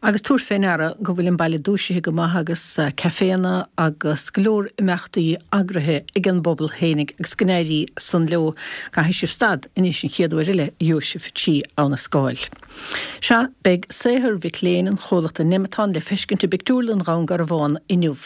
agus tabhair fé ndeara go bhfuil an baile dúisithe go maith agus caiféanna agus go leor imeachtaí eagraithe ag an bpobal fhéinig agus go n-éirí san leo. Caithfidh sibh stad anois an chéad uair eile a gheobhaidh sibh trí Abhainn an Scáil. Sea, beidh saothar mhic léinn an chomhlachta Nemeton le feiscint i bPictiúrlann Dhún Garbhán inniu.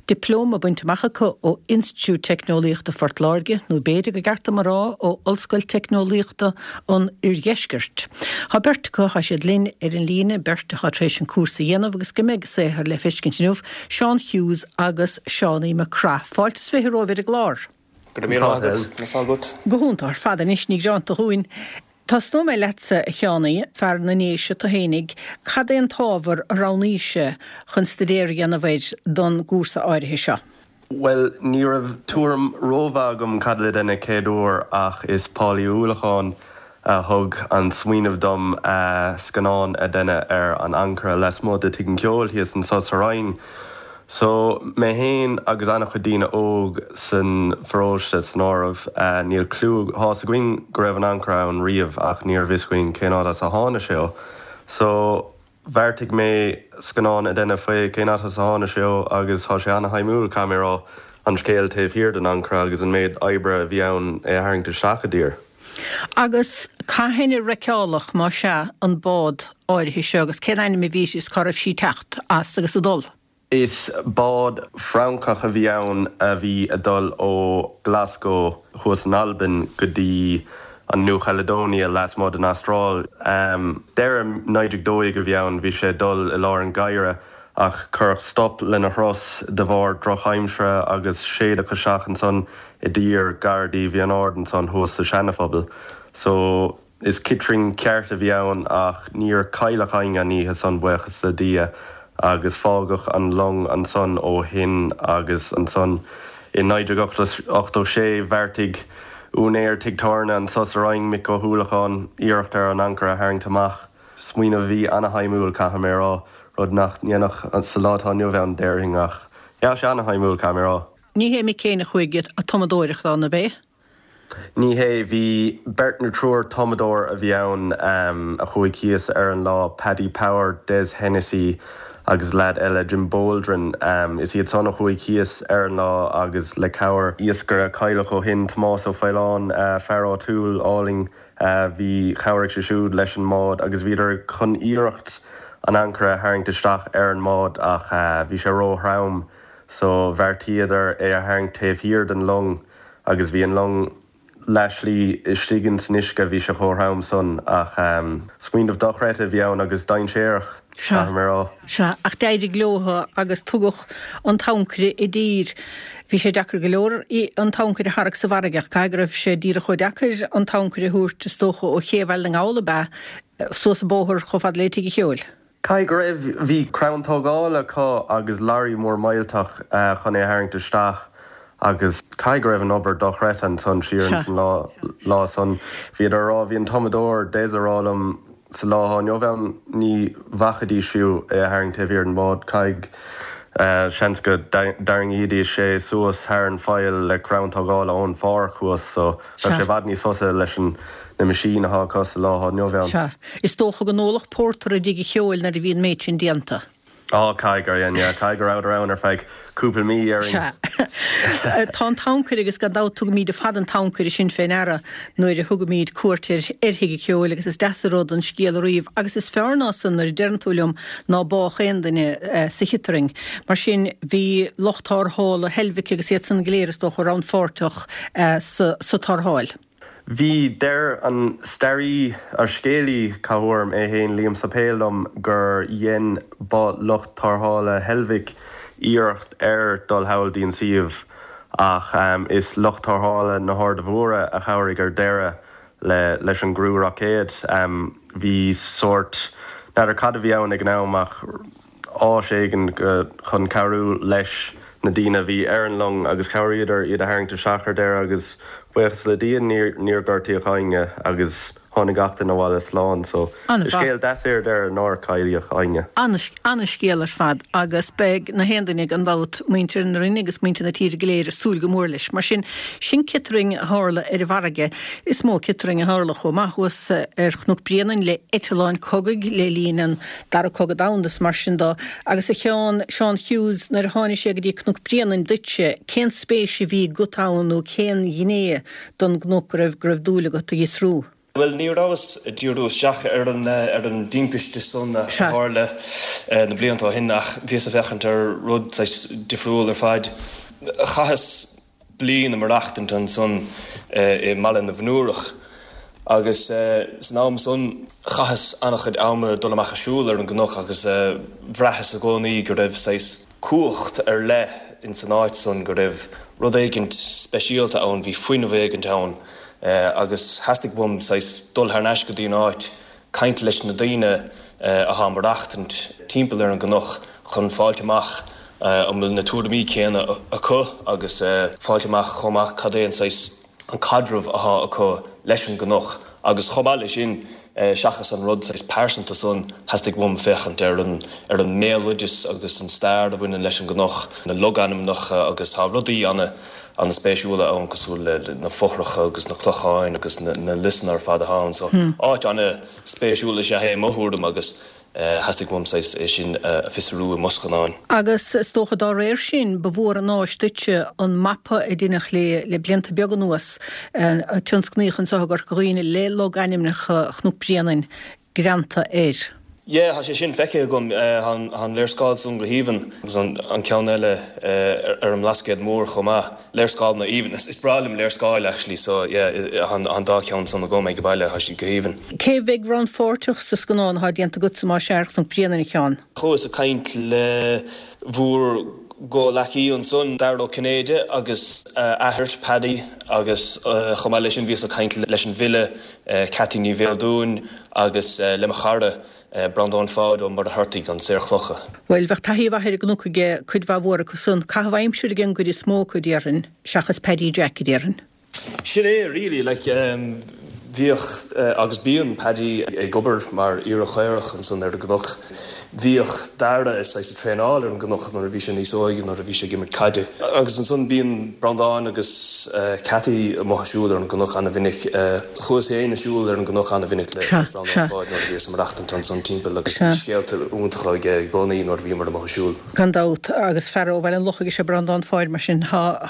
Dioplóma bainte amach acu ó Institiúid Teicneolaíochta Phort Láirge, nó b'fhéidir gur ceart dom a rá ó Ollscoil Teicneolaíochta an Oirdheiscirt. Tá beirt acu, tá siad linn ar an líne, beirt atá tar éis an cúrsa a dhéanamh agus go mbeidh a saothar le feiscint inniu, Seán Hughes agus Seánie McCraith. Fáilte is 20 romhaibh ar an gclár. Go raibh míle maith agat. Conas tá agat? Go hiontach ar fad anois, ní gearánta dhúinn. Tosnóidh mé leatsa, a Sheánie, fear na nDéise tu fhéinig, cad é an t-ábhar a roghnaís chun staidéar a dhéanamh air don gcúrsa áirithe seo? Bhuel, ní raibh tuairim rómhaith agam cad le déanamh chéad uair ach is Paul Uí Uallacháin a thug an smaoineamh dom scannán a dhéanamh ar an ancaire lasmuigh de Tigh an Cheoil thíos anso sa Rinn. So, mé fhéin agus an-chuid daoine óg san pharóiste san áireamh, níl cliú, tá 'fhios againn go raibh an ancaire ann riamh ach ní raibh fhios againn cén áit as a tháinig sé ó. So, bheartaigh mé scannán a dhéanamh faoi cén áit as a tháinig sé ó agus tá sé ana-shuimiúil, caithfidh mé a rá, an scéal taobh thiar den ancaire agus an méid oibre a bhí ann é a tharraingt isteach i dtír. Agus cathain a wreckálach, más ea, an bád áirithe seo agus cén ainm a bhí uirthi is cá raibh sí ag teacht as agus ag dul? Is bád Francach a bhí ann a bhí ag dul ó Glasgow thuas in Albain go dtí an Nua-Chaledonia lasmuigh den Astráil. Deireadh 1912 a bhí ann, bhí sé ag dul i lár an gheimhridh ach cuireadh stop lena thuras de bharr drochaimsire agus séideadh isteach ansan i dtír gar dtí Bhí an Ard ansan thuas sa Seana-Phobal. So. Is ciotrainn ceart a bhí ann ach níor cailleadh éinne an oíche san, buíochas le Dia, agus fágadh an long ansan ó shin agus ansan i 1986 bheartaigh úinéir tigh tábhairne anso sa Rinn, Mick Ó hUallacháin, iarracht ar an ancaire a tharraingt amach. Smaoineamh a bhí ana-shuimiúil, caithfidh mé a rá, rud nach ndéanfadh sa lá atá inniu ann, déarfainn, ach yeah, sé ana-shuimiúil, caithfidh mé a rá. Ní hé Mick fhéin a chuaigh ag tumadóireacht ann, ab é? Ní hé, bhí beirt nó triúr tumadóir a bhí ann a chuaigh thíos ar an lá, Paddy Power, Des Hennessy agus leaid eile, Jim Boldrin. Is iad san a chuaigh thíos ar an lá agus le cabhair iascaire a cailleadh ó shin, Tomás Ó Faoláin, fear áitiúil álainn, bhí, chabhraigh sé siúd leis an mbád agus bhíodar chun iarracht an ancaire a tharraingt isteach ar an mbád ach bhí sé ró-throm so bheartaíodar é a tharraingt taobh thiar den long. agus bhí an long leath slí istigh ins an uisce, bhí sé chomh throm san, ach smaoineamh dochreidte a bhí ann agus dainséarach, caithfidh mé a rá. Sea, ach d'éirigh leotha agus tugadh an t-ancaire i dtír. Bhí sé deacair go leor an t-ancaire a tharrac sa bhfarraige ach caithfidh go raibh sé díreach chomh deacair an t-ancaire a thabhairt, is dócha, ó ché Bhaile na nGall ab ea, suas an bóthar chomh fada le Tigh an Cheoil. Caithfidh go raibh. Bhí crann tógála acu agus lorry mór millteach chun é a tharraingt isteach agus caithfidh go raibh an obair dochreidte ansan siar ins an lá lá san. Bhíodar a rá, bhí an tumadóir Des a rá liom sa lá atá inniu ann ní bhacfaidís fiú é a tharraingt taobh thiar den bhád. Caithfidh, seans go dtarraingídís é suas thar an pholl le crann tógála ón pháirc thuas so bheadh sé i bhfad níos fusa leis an na meaisín atá acu sa lá atá inniu ann. Sea. Is dócha go n-ólfadh pórtar i dtigh an cheoil nuair a bhí an méid sin déanta. Á, caithfidh gur dhein, yeah. Caithfidh go rabhadar ann ar feadh cúpla mí, déarfainn. Sea. Tá an t-ancaire agus gan dabht tugaimíd ar fad an t-ancaire sin fé ndeara nuair a thugaimíd cuairt ar ar Thigh an Cheoil agus is deas an rud an scéal a ríomh agus is fearr ná san nuair a deireann tú liom ná bádh aon duine sa chiotrainn. Mar sin bhí lucht tarrthála Heilbhic agus iad san go léir is dócha rannpháirteach sa sa tarrtháil. Bhí, deir an staraí, ar scéalaí cathuair é féin, Liam Suipéil liom gur dhein ba lucht tarrthála Heilbhic iarracht ar dul thall dtí an suíomh ach is lucht tarrthála na hArda Mhóire a chabhraigh ar deireadh le leis an gcriú roicéad. Bhí sórt, n'fheadar cad a bhí ann ag an am ach áis éigin chun cabhrú leis na daoine a bhí ar an long agus chabhraíodar iad a tharraingt isteach ar deireadh agus buíochas le Dia níor gortaíodh éinne agus tháinig gach duine abhaile slán so An-mhaith. scéal deas é ar deireadh nár cailleadh éinne. An-scéal ar fad agus beidh na haon duine gan dabht, muintir na Rinne agus muintir na tíre go léir ag súil go mór leis. Mar sin, sin ciotrainn a tharla ar an bhfarraige. Is mó ciotrainn a tharla chomh maith thuas ar Chnoc Bréanainn le eitleáin cogaidh le linn an Dara Cogadh Domhanda is mar sin dó. Agus a Sheáin, Seán Hughes, nuair a tháinig sé go dtí Cnoc Bréanainn duitse, cén spéis a bhí agat ann nó cén ghné don gcnoc go raibh go raibh dúil agat a fhiosrú? Bhuel, ní rabhas ag díriú isteach ar an ar an dtimpiste san a tharla na blianta ó shin ach bhíos ag féachaint ar rud saghas difriúil ar fad. Chaitheas bliain ag maireachtaint ansan i mBaile na bhFionnúrach agus san am san chaitheas an-chuid ama ag dul amach ag siúl ar an gcnoc agus bhraitheas i gcónaí go raibh saghas cumhacht ar leith ins an áit san, go raibh rud éigint speisialta ann, bhí fuinneamh éigint ann agus theastaigh uaim saghas dul thar n-ais go dtí an áit, caint leis na daoine athá ag maireachtaint timpeall ar an gcnoc chun fáilt amach an bhfuil na tuairimí céanna acu agus fáilt amach chomh maith cad é an saghas, an caidreamh athá acu leis an gcnoc agus chomh maith leis sin, seachas an rud saghas pearsanta san, theastaigh uaim féachaint ar an, ar an mbéaloideas agus an stair a bhaineann leis an gcnoc, na logainmneacha agus tá rudaí ana, ana-spéisiúla ann cosúil le na fothracha agus na clocháin agus na, na liosanna ar fad athá ann so áit ana-spéisiúil is ea é i mo thuairim agus Theastaigh uaim saghas é sin a fhiosrú i mo scannán. Agus is dócha dá réir sin, ba mhór an áis duitse an mapa a deineadh le le blianta beaga anuas, a tionscnaíodh anseo i gCorca Dhuibhne le logainmneacha Chnoc Bréanainn greanta air. Yeah, tá sé sin feicthe agam. Tá an léarscáil san go haoibhinn agus an ceann eile ar an mBlascaod Mór chomh maith. Léarscáileanna aoibhinn. Is breá liom léarscáil actually so yeah tá an dá cheann san agam ag baile, tá siad go haoibhinn. Cé a bheidh rannpháirteach sa scannán atá déanta agatsa más ea ar Chnoc Bréanainn, a Sheáin? Chuas ag caint le bhur gcomhleacaí ansan, Dara Ó Cinnéide agus a athair, Paddy, agus chomh maith leis sin bhíos ag caint leis an bhfile Ceaití Ní Bheildiúin agus le mo chara, Breandán Pháid Ó Muircheartaigh, an Saor Clocha. Bhuel, bheadh taithí mhaith ar an gcnoc aige cuid mhaith mhór acu san. Caitheamh aimsire ag an gcuid is mó acu, déarfainn, seachas Paddy Jack, a déarfainn. Sin é, really, like, bhíodh agus bíonn Paddy ag obair mar aoire chaorach ansan ar an gcnoc. Bhíodh Dara saghas ag traenáil ar an gcnoc nuair a bhí sé níos óige, nuair a bhí sé ag imirt caide. Agus ansan bíonn Breandán agus Ceaití amuigh ag siúl ar an gcnoc ana-mhinic. Chuas féin ag siúl ar an gcnoc ana-mhinic le Breandán Pháid nuair a bhíos ag maireachtaint ansan timpeall agus bhí scéalta iontacha aige i gcónaí nuair a bhíomar amuigh ag siúl. Gan dabht, agus fear ó Bhaile an Lochaigh is ea Breandán Pháid, mar sin tá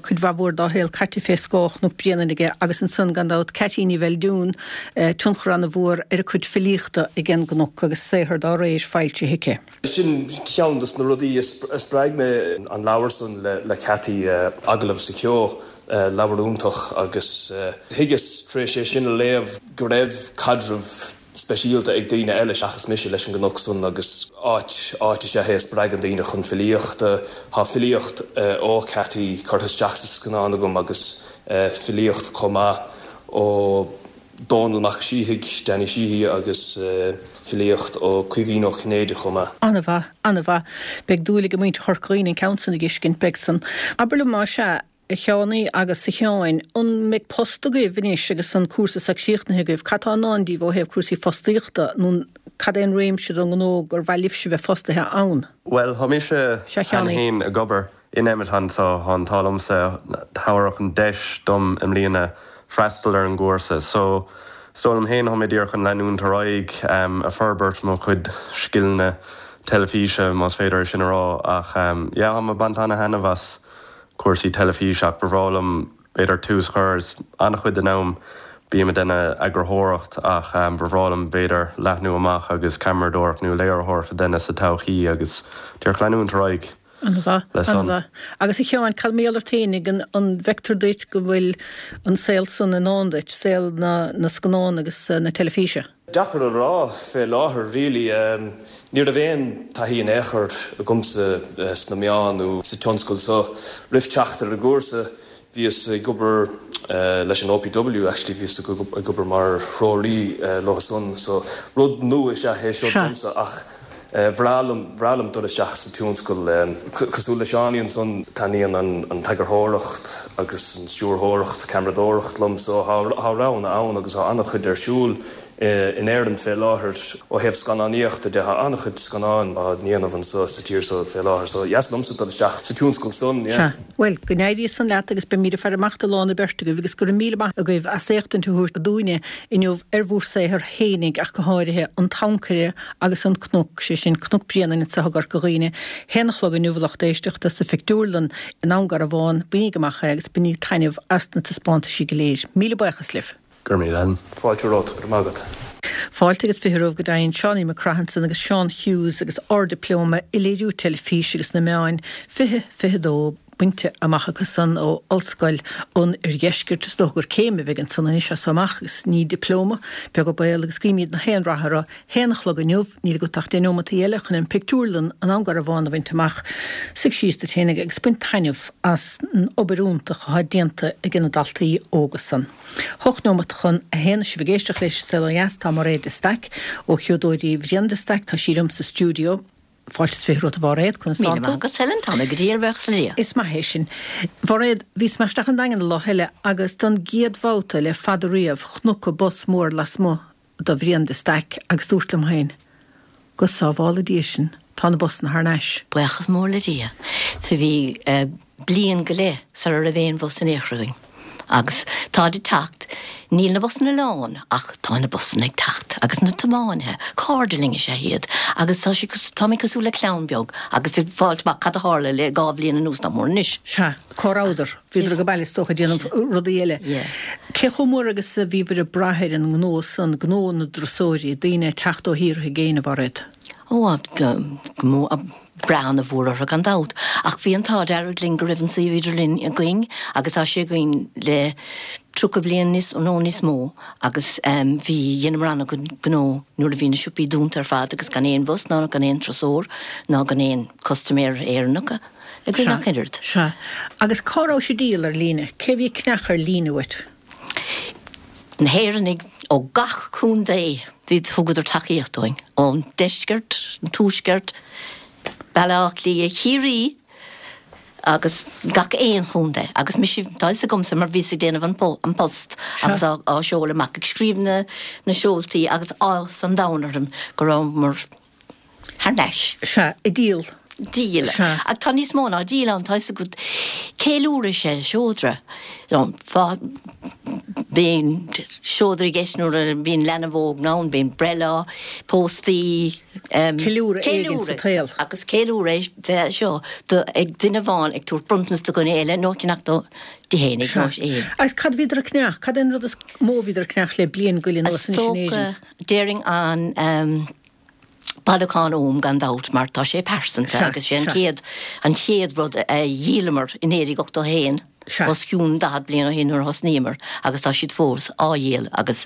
cuid mhaith mhór dá shaol caite fé scáth Chnoc Bréanainn aige agus ansan, gan dabht, Ceaití Ní Bheildiúin, tionchar ana-mhór ar a cuid filíochta ag an gcnoc agus saothar dá réir foilsithe aici. Sin ceann dos na rudaí a spreag mé, an leabhar san le Ceaití, Agallamh sa Cheo. Leabhar iontach agus thuigeas tar éis é sin a léamh go raibh caidreamh speisialta ag daoine eile seachas mise leis an gcnoc san agus áit, áit is ea é a spreagann daoine chun filíochta. Tá filíocht ó Ceaití curtha isteach sa scannán agam agus filíocht chomh maith ó Dónall Mac Síthigh, Danny Sheehy agus filíocht ó Caoimhín Ó Cinnéide chomh maith. An-mhaith, an-mhaith. Beidh dúil ag muintir Chorca Dhuibhne an ceann san a dh'fheiscint, beidh san. Abair liom más ea, a Sheánaí agus a Sheáin, an mbeidh post agaibh anois agus an cúrsa so críochnaithe agaibh? Cad tá i ndán daoibh ó thaobh cúrsaí fostaíochta nó cad é an réimse den ngnó gur mhaith libhse bheith fostaithe ann? Bhuel, tá mise Sea, a cheana Sheánaí. féin ag obair in Emiton so tá an t-ádh liomsa, tabharadh an deis dom i mbliana freastal ar an gcúrsa. So, is dóigh liom féin, tá mé díreach chun leanúint ar aghaidh ag forbairt mo chuid scileanna teilifíse, más féidir é sin a rá. Ach yeah, tá mé ag baint ana-thaitneamh as cúrsaí teilifíse ach ba bhreá liom b'fhéidir tús a chur, is an-chuid den am bím ag déanamh eagarthóireacht ach ba bhreá liom b'fhéidir leathnú amach agus ceamaradóireacht nó léiritheoireacht a dhéanamh sa todhchaí agus díreach leanúint ar aghaidh An-mhaith, le san. an-mhaith. Agus a Sheáin, cad mar gheall ort fhéinig, an an bhfeictear duit go bhfuil an saol san i ndán duit, saol na na scannán agus na teilifíse? Deacair a rá fé láthair really. Ní raibh aon taithí in aon chor agamsa sna meáin nó sa tionscal so roimh teacht ar an gcúrsa. Bhíos ag obair leis an OPW actually, bhíos ag obair mar threoraí leo san so rud nua is ea é seo domsa ach bhreá liom, bhreá liom dul isteach sa tionscal. Cosúil le Seánie ansan, taitníonn an t-eagarthóireacht agus an stiúrthóireacht, ceamaradóireacht liom so tá roghanna ann agus tá an-chuid ar siúl In Éirinn fé láthair, ó thaobh scannánaíochta de, tá an-chuid scannáin á ndéanamh anso sa tír so fé láthair, so dheas liomsa dul isteach sa tionscal san, yeah. Sea. Bhuel, go n-éirí san leat agus beimíd ag faire amach do lán an beirt agaibh agus go raibh míle maith agaibh as éachtaint a thabhairt dúinne inniu ar bhur saothar fhéinig ach go háirithe, An tAncaire agus An Cnoc, sé sin Cnoc Bréanainn anso i gCorca Dhuibhne, haon a chlog inniu a lucht éisteachta sa phictiúrlann i nDún Garbhán, bainíg amach é agus bainíg taitneamh as na taispeántaisí go léir. Míle buíochas libh. Go raibh míle agat. Fáilte romhat, go raibh maith agat. Fáilte agus 20 romhaibh go deimhin, Seánie McCraith ansan agus Seán Hughes agus Ard-Dioplóma i Léiriú Teilifíse agus na Meáin 2022 bainte amach acu san ó Ollscoil an Oirdheiscirt. Is dócha gur céim a bheidh ansan anois as so amach agus ní dioplóma, beag an baol agus guímíd na haon rath orthu. Haon a chlog inniu, níl agat ach deich neomataí eile chun an pictiúrlann i nDún Garbhán a bhaint amach. Suigh síos duit fhéinig agus bain taitneamh as an obair iontach atá déanta ag na daltaí óga san. 8 neomat chun a haon, sibh ag éisteacht leis An Saol Ó Dheas, tá Mairéad de Staic ó Sheodóirí Bhriain de Staic, tá sí liom sa stiúideo. Fáilte is 20 romhat a Mhairéad, conas tánn tú? Míle maith agat Helen, tá mé go diail, buíochas le Dia. Is maith é sin. Mhairéad, bhíos mé isteach an Daingean an lá eile agus don gcéad bhabhta le fada riamh chonac bus mór lasmuigh do Bhrian de Staic agus dúrt liom féin, Go sábhála Dia sinn, tá na busanna thar n-ais. Buíochas mór le Dia. So bhí bliain go leith sara raibh aon bhus in aon chor againn. Agus táid ag teacht, níl na busanna lán ach tá na busanna ag teacht agus na tiománaithe, cairde linn is ea iad agus tá sé, táimid cosúil le clann beag agus ag fáilt amach cad a tharla le 2 bhliain anuas nach mór anois. Sea. Cá rabhadar? Bhíodar ag baile is dócha ag déanamh rudaí eile. Cé chomh mór agus a bhíobhair ag brath ar an ngnó san, gnó na dturasóirí, daoine ag teacht ó thíortha i gcéin, a Mhairéad? Ó, go mór, brath ana-mhór orthu gan dabht. Ach bhí an t-ádh dearg linn go raibh an suíomh idirlín againn agus tá sé againn le 30 bliain níos, nó níos mó agus bhí, dheineamar an-chuid gnó nuair a bhí na siopaí dúnta ar fad agus gan aon bhus ná gan aon turasóir ná gan aon custaiméir Éireannach. Againn ach oiread. Sea. Agus cá raibh sibh ag díol ar líne? Cé a bhí ag ceannach ar líne uait? Na hÉireannaigh ó gach contae. Bhí, thugadar tacaíocht dúinn. Ón deisceart, an tuaisceart, Baile Átha Cliath, Chiarraí agus gach aon chontae. Agus mise, tá fhios agamsa mar bhíos ag déanamh an post agus á seoladh amach, ag scríobh na na seoltaí agus áthas an domhain orm go rabhamar thar n-ais. Sea, ag díol. Díol. Sea. Ach tá níos mó ná díol ann, tá fhios agat. Ceiliúradh is ea seodra. Bíonn seodra i gceist nuair a bhíonn leanbh óg ann, bíonn breithlá, póstaí. Ceiliúradh éigin sa tsaol. Agus ceiliúradh é seo do ag duine amháin ag tabhairt bronntanas do dhuine eile nó ag ceannach do di fhéinig nó é. Agus cad a bhíodar ag ceannach? Cad é an rud is mó a bhíodar ag ceannach le bliain go leith anuas Is anois in Éirinn? dócha, déarfainn an. Bailiúchán Ogham gan dabht mar tá sé pearsanta agus sé an chéad an chéad rud a dhíolamar i 1981, os cionn 40 bliain ó shin nuair a thosnaíomar agus tá siad fós á dhíol agus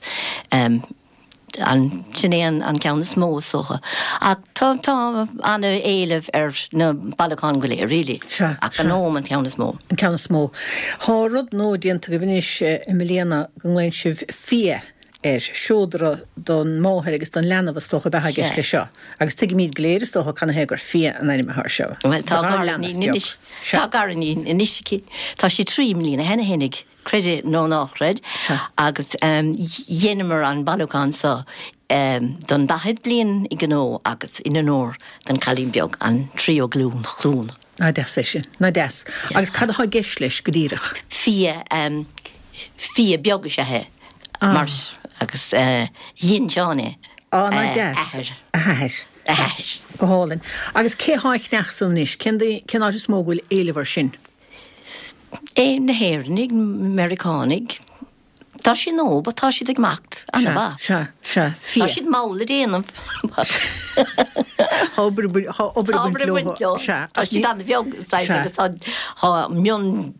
an sin é an ceann is mó is dócha. Ach tá tá ana-éileamh ar na bailiúcháin go léir really ach an Ogham an ceann is mó. An ceann is mó. Tá rud nua déanta agaibh anois i mbliana go nglaonn sibh Fia air, seodra don máthair agus don leanbh is dócha ab ea i gceist leis seo. Agus tuigimid go léir is dócha canathaobh gur Fia an ainm atá air seo. Bhuel tá gariníon anois, tá gariníon anois aici, tá sí 3 mbliana cheana fhéinig, creid é nó ná chreid, agus dheineamar an bailiúchán seo don 40 bliain gnó agus in onóir don chailín beag, an tríú glún, glún. Nach deas é sin, nach deas. Agus cad atá i gceist leis go díreach? Fia, fia beag is ea é. Mar agus dhein Seán é. Á, nach deas. A athair. A hathair. A hathair. Go hálainn. Agus cé thá ag ceannach san anois? Cén cén áit is mó go bhfuil éileamh air sin? É na hÉireannaigh, Meiriceánaigh. Tá sé nua but tá siad ag imeacht ana-mhaith. Sea, sea, sea. Tá siad mall le déanamh. Tá obair tá obair ag baint leo. Sea. Tá siad ana-bheag agus tá tá mion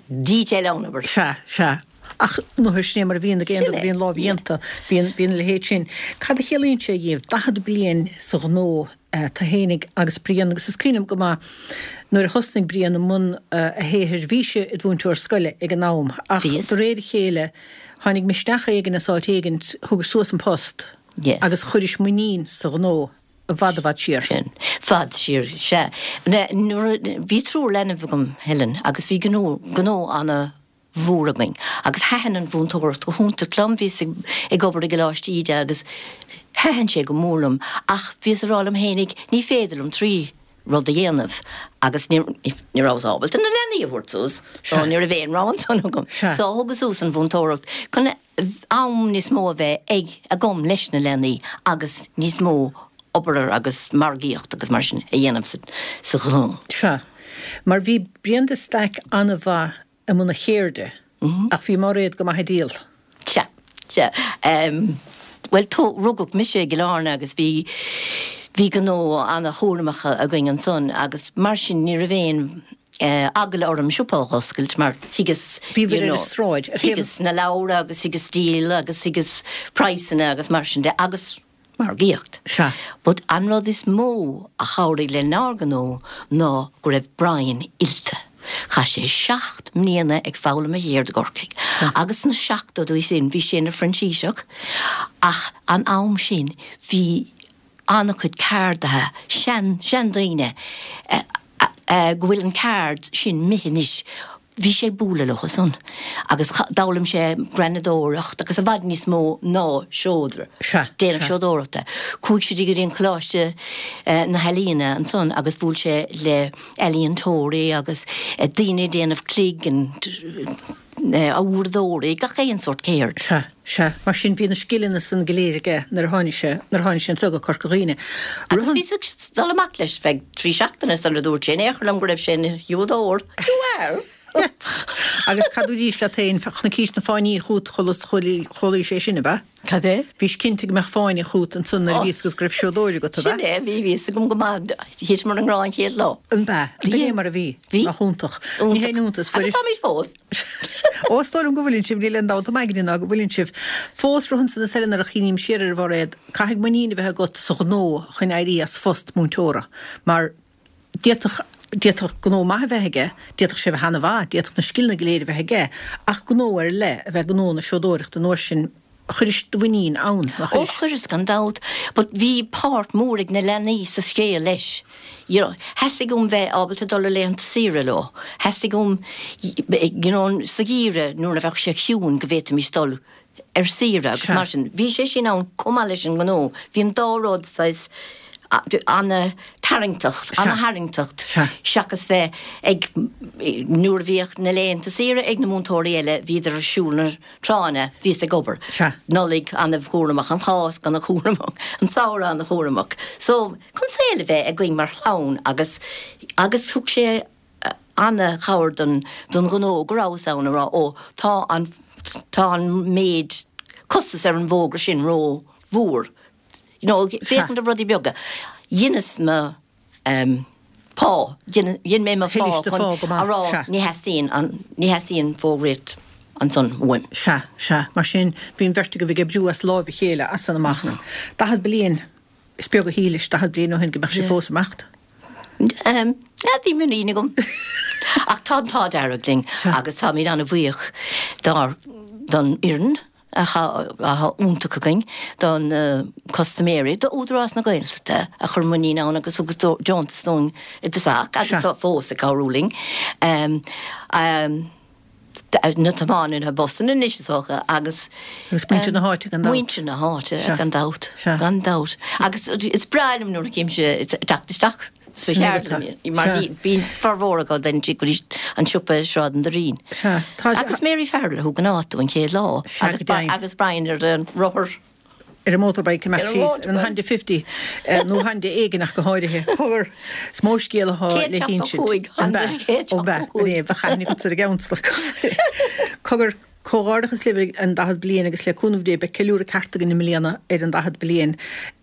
detail ann abair. Sea, sea. Ach nuair sin é mar a bhíonn ag aon rud a bhíonn lámhdhéanta, bíonn, bíonn a leithéid sin. Cad a chiallaíonn sé dhíbh, 40 bliain sa ghnó? Tú fhéinig agus Brian agus is cuimhin liom go maith nuair a thosnaigh Brian i mbun a shaothair bhís i do mhúinteoir scoile ag an am ach de réir a chéile tháinig misneach éigin as áit éigin, thugais suas an post agus chuiris muinín sa ghnó i bhfad i bhfad siar. Sin. Fad siar, sea. Nuair a, bhí triúr leanbh agam, Helen, agus bhí gnó, gnó ana mhór againn. Agus thaitin an mhúinteoireacht go hiontach liom, bhíos ag obair i gColáiste Íde agus thaitin sé go mór liom ach bhíos ag rá liom fhéinig ní féidir liom 3 rud a dhéanamh agus ní ní rabhas ábalta na leanaí a thabhairt suas so ní raibh aon rogha ansan agam. So thugas suas an mhúinteoireacht chun am níos mó a bheith ag agam leis na leanaí agus níos mó obair agus margaíocht agus mar sin a dhéanamh sa ghnó. Sea. Mar bhí Brian de Staic an-mhaith i mbun a cheirde, ach bhí Máiréad go maith ag díol. Sea, sea. Bhuel, rugadh mise i gCill Airne agus bhí, bhí gnó ana-chúramach againn ansan agus mar sin ní raibh aon eagla orm siopa a dh'oscailt mar thuigeas, you know, thuigeas na leabhra agus thuigeas díol agus thuigeas praghsanna agus mar sin de agus margaíocht. Sea. But an rud is mó a chabhraigh lenár ngnó ná go raibh Brian oilte. Chaith sé 7 mbliana ag foghlaim a cheird i gCorcaigh. Agus sna seachtóidí sin bhí sé ina phrintíseach ach an am sin bhí an-chuid ceardaithe, sean, seandaoine, go bhfuil an ceard sin imithe anois. Bhí sé ag bualadh leo san agus d'fhoghlaim sé greanadóireacht agus i bhfad níos mó ná seodra, déanamh seodóireachta. Chuaigh sé go dtí an Coláiste na hEalaíona ansan agus bhuail sé le ealaíontóirí agus daoine ag déanamh cloig and uaireadóirí, gach aon sórt ceird. Sea, sea. Mar sin bhí na scileanna san go léir aige nuair a tháinig sé, nuair a tháinig sé anseo go Corca Dhuibhne. Agus bhíos ag dul amach leis feadh 3 seachtaine sular dúirt sé in aon chor liom go raibh sé ina sheodóir. You are! Agus cad dúraís leat féin, chonaicís na fáinní chút chualaís é sin, ab ea? Cad é? Bhís cinnte go mbeadh fáinne chút ansan nuair a bhí fhios agat go raibh seodóir agat, ab ea? Sin é, bhí fhios agam go maith. Thiteamar i ngrá an chéad lá. An b'ea? Ab é mar a bhí? Bhí. Nach iontach. Ní haon iontas. Agus táimid fós. Ó, is dóigh liom go bhfuileann sibh, níl aon dabht agam aigne ná go bhfuileann sibh. Fós rud ansan is eile nuair a chuimhním siar ar a Mháiréad, caithfidh muinín a bheith agat sa ghnó chun éirí as phost múinteora mar d'fhéadfadh, d'fhéadfadh gnó maith a bheith aige, d'fhéadfadh sé a bheith ana-mhaith, d'fhéadfadh na scileanna go léir a bheith aige, ach gnó ar leith a bheith gnó na seodóireachta an uair sin, chuiris do mhuinín ann, nár chuiris? Ó chuireas, gan dabht, but bhí páirt mhór ag na leanaí sa scéal leis. You know, theastaigh uaim bheith ábalta dul ar laethanta saoire leo, theastaigh uaim, you know, sa gheimhreadh nuair a bheadh sé ciúin go bhféadfaimis dul ar saoire agus mar sin. Bhí sé sin ann chomh maith leis an ngnó. Bhí an dá rud saghas ana-tharraingteach, ana-tharraingteach seachas bheith ag, nuair a bhíodh na laethanta saoire ag na múinteoirí eile bhíodar ar siúl na tránna, bhíos ag obair. Nollaig ana-chúramach, an Cháisc ana-chúramach, an samhradh ana-chúramach. So, chun saol a bheith againn mar chlann agus, agus thug sé ana-chabhair don, don ghnó go rabhas ann a rá, ó, tá an, tá an méid costas ar an bhfógra sin ró-mhór. You know, féachaint ar rudaí beaga. Dheineas mo, em, pá, dhein, dhein mé mo phá chun a rá ní theastaíonn an, ní theastaíonn fógraíocht ansan uaim. Sea, sea. Mar sin, bhí an bheirt agaibh ag oibriú as láimh a chéile as san amach. 40 bliain, is beag a shílis 40 bliain ó shin go mbeadh sibh fós ag imeacht. Em, bhí muinín agam. Ach tá an t-ádh dearg linn agus táimid an-bhuíoch dár, don fhoireann atá iontach againn, do na custaiméirí, do Údarás na Gaeltachta a chuir muinín ann agus thug deontas dúinn i dtosach agus tá fós ag cabhrú linn. Em, em, na tiománaithe busanna anois is dócha agus. Agus muintir na háite gan dabht. Muintir na háite gan dabht, gan dabht. Agus is breá liom nuair a chímse ag teacht isteach sa cheardlann mar bíonn formhór acu den go dtí an siopa i Sráid an Doirín. Agus Mary Farrell a thug an áit dúinn an chéad lá agus Brian ar an rothar. ar an motorbike amach síos ar an Honda 50 nó Honda éigin ach go háirithe. Cogar, is mó scéal athá le hinsint. 175, Honda 175. Ó b'ea, b'in é, bheadh aithne agatsa ar an gceann sna Cogar. Comhghairdeachas libh ar an 40 bliain agus le cúnamh Dé beidh ceiliúradh ceart againn i mbliana ar an 40 bliain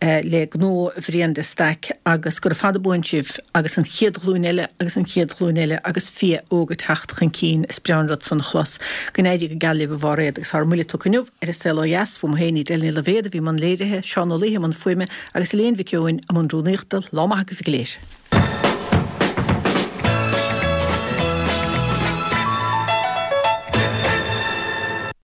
le gnó Bhriain de Staic agus gura fada buan sibh agus an chéad ghlúin eile agus an chéad ghlúin eile agus fia óg ag teacht chun cinn. Is breá an rud san a chlos. Go n-éirí go geal libh a Mháiréad agus ár mbuille tugtha inniu ar An Saol Ó Dheas, uaim féin Edel Ní Loibhéad a bhí i mbun léirithe, Seán Ó Laoithe i mbun fuaime agus Elaine Mhic Eoin i mbun rúnaíochta. Lá maith agaibh go léir.